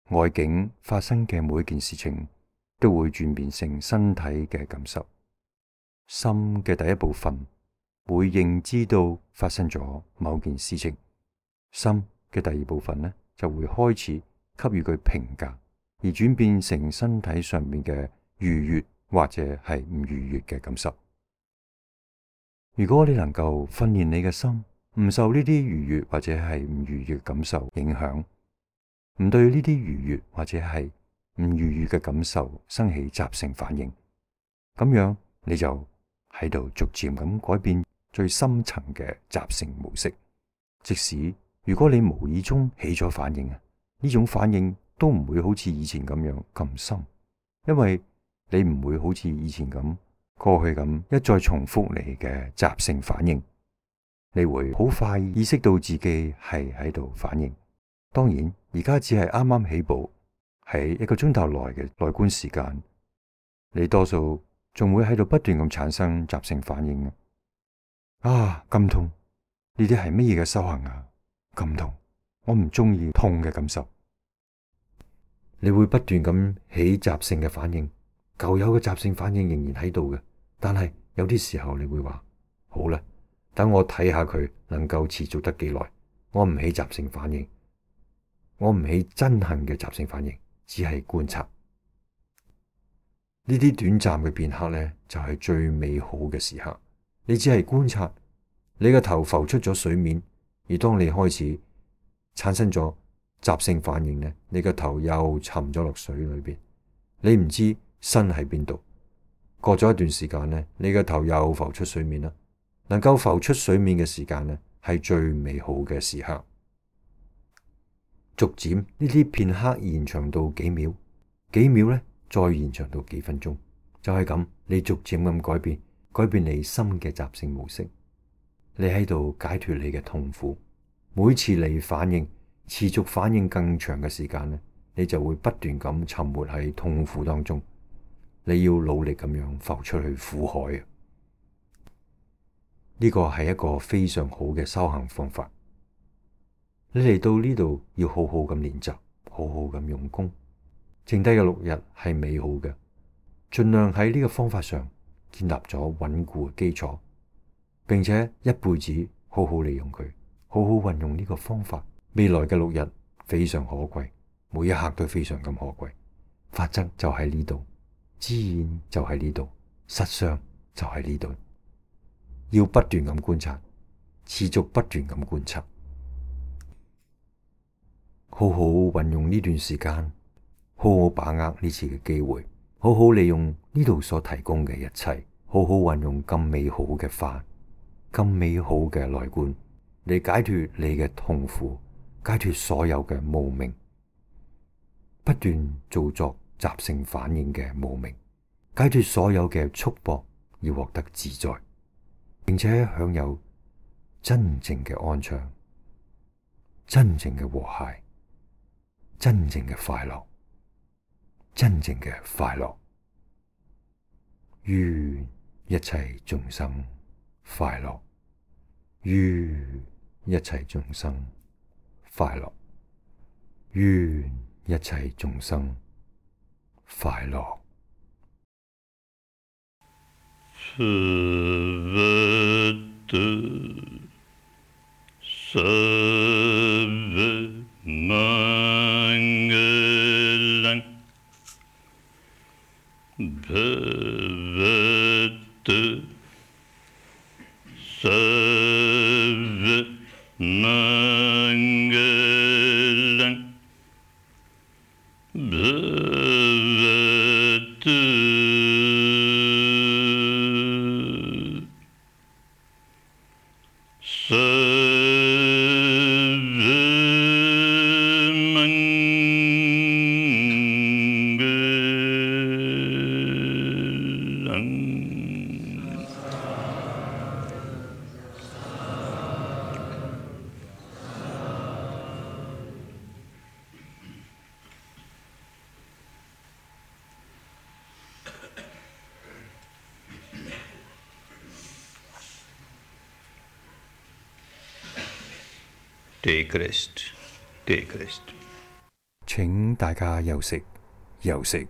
外境發生嘅每一件事情都會轉變成身體嘅感受。心嘅第一部分會認知到發生咗某件事情，心嘅第二部分呢就會開始給予佢評價，而轉變成身體上面嘅愉悅或者係唔愉悅嘅感受。如果你能夠訓練你嘅心唔受呢啲愉悅或者係唔愉悅嘅感受影響，唔對呢啲愉悅或者係唔愉悅嘅感受生起習性反應，咁樣你就喺度逐漸咁改變最深層嘅習性模式。即使如果你無意中起咗反應啊，呢種反應都唔會好似以前咁樣咁深，因為你唔會好似以前咁過去咁一再重複你嘅習性反應，你會好快意識到自己係喺度反應。當然而家只係啱啱起步，喺一個鐘頭內嘅內觀時間，你多數仲會喺度不斷咁產生習性反應啊！咁痛，呢啲係乜嘢嘅修行啊？咁痛，我唔中意痛嘅感受。你會不斷咁起習性嘅反應，舊有嘅習性反應仍然喺度嘅，但係有啲時候你會話好啦，等我睇下佢能夠持續得幾耐。我唔起習性反應，我唔起憎恨嘅習性反應，只係觀察。呢啲短暫嘅片刻呢，就係最美好嘅時刻。你只係觀察，你嘅頭浮出咗水面，而當你開始產生咗習性反應呢，你個頭又沉咗落水裏邊，你唔知身喺邊度。過咗一段時間呢，你個頭又浮出水面啦。能夠浮出水面嘅時間呢，係最美好嘅時刻。逐漸呢啲片刻延長到幾秒，幾秒呢再延長到幾分鐘，就係咁，你逐漸咁改變，改變你心嘅習性模式。你喺度解脫你嘅痛苦。每次你反應持續反應更長嘅時間呢，你就會不斷咁沉沒喺痛苦當中。你要努力咁樣浮出去苦海啊！呢個係一個非常好嘅修行方法。你嚟到呢度要好好咁練習，好好咁用功。剩低嘅六日係美好嘅，盡量喺呢個方法上建立咗穩固嘅基礎，並且一輩子好好利用佢，好好運用呢個方法。未來嘅六日非常可貴，每一刻都非常咁可貴。法則就喺呢度，自然就喺呢度，實相就喺呢度。要不斷咁觀察，持續不斷咁觀察，好好運用呢段時間，好好把握呢次嘅機會，好好利用呢度所提供嘅一切，好好運用咁美好嘅法，咁美好嘅內觀，嚟解脫你嘅痛苦，解脫所有嘅無明，不斷做作習性反應嘅無明，解脫所有嘅束縛，要獲得自在，並且享有真正嘅安詳、真正嘅和諧、真正嘅快樂、真正嘅快樂。願一切眾生快樂，願一切眾生快樂，願一切眾生快樂。Bhagavata Sarvamangalam Bhavatu Take rest, take rest. 請大家休息，休息。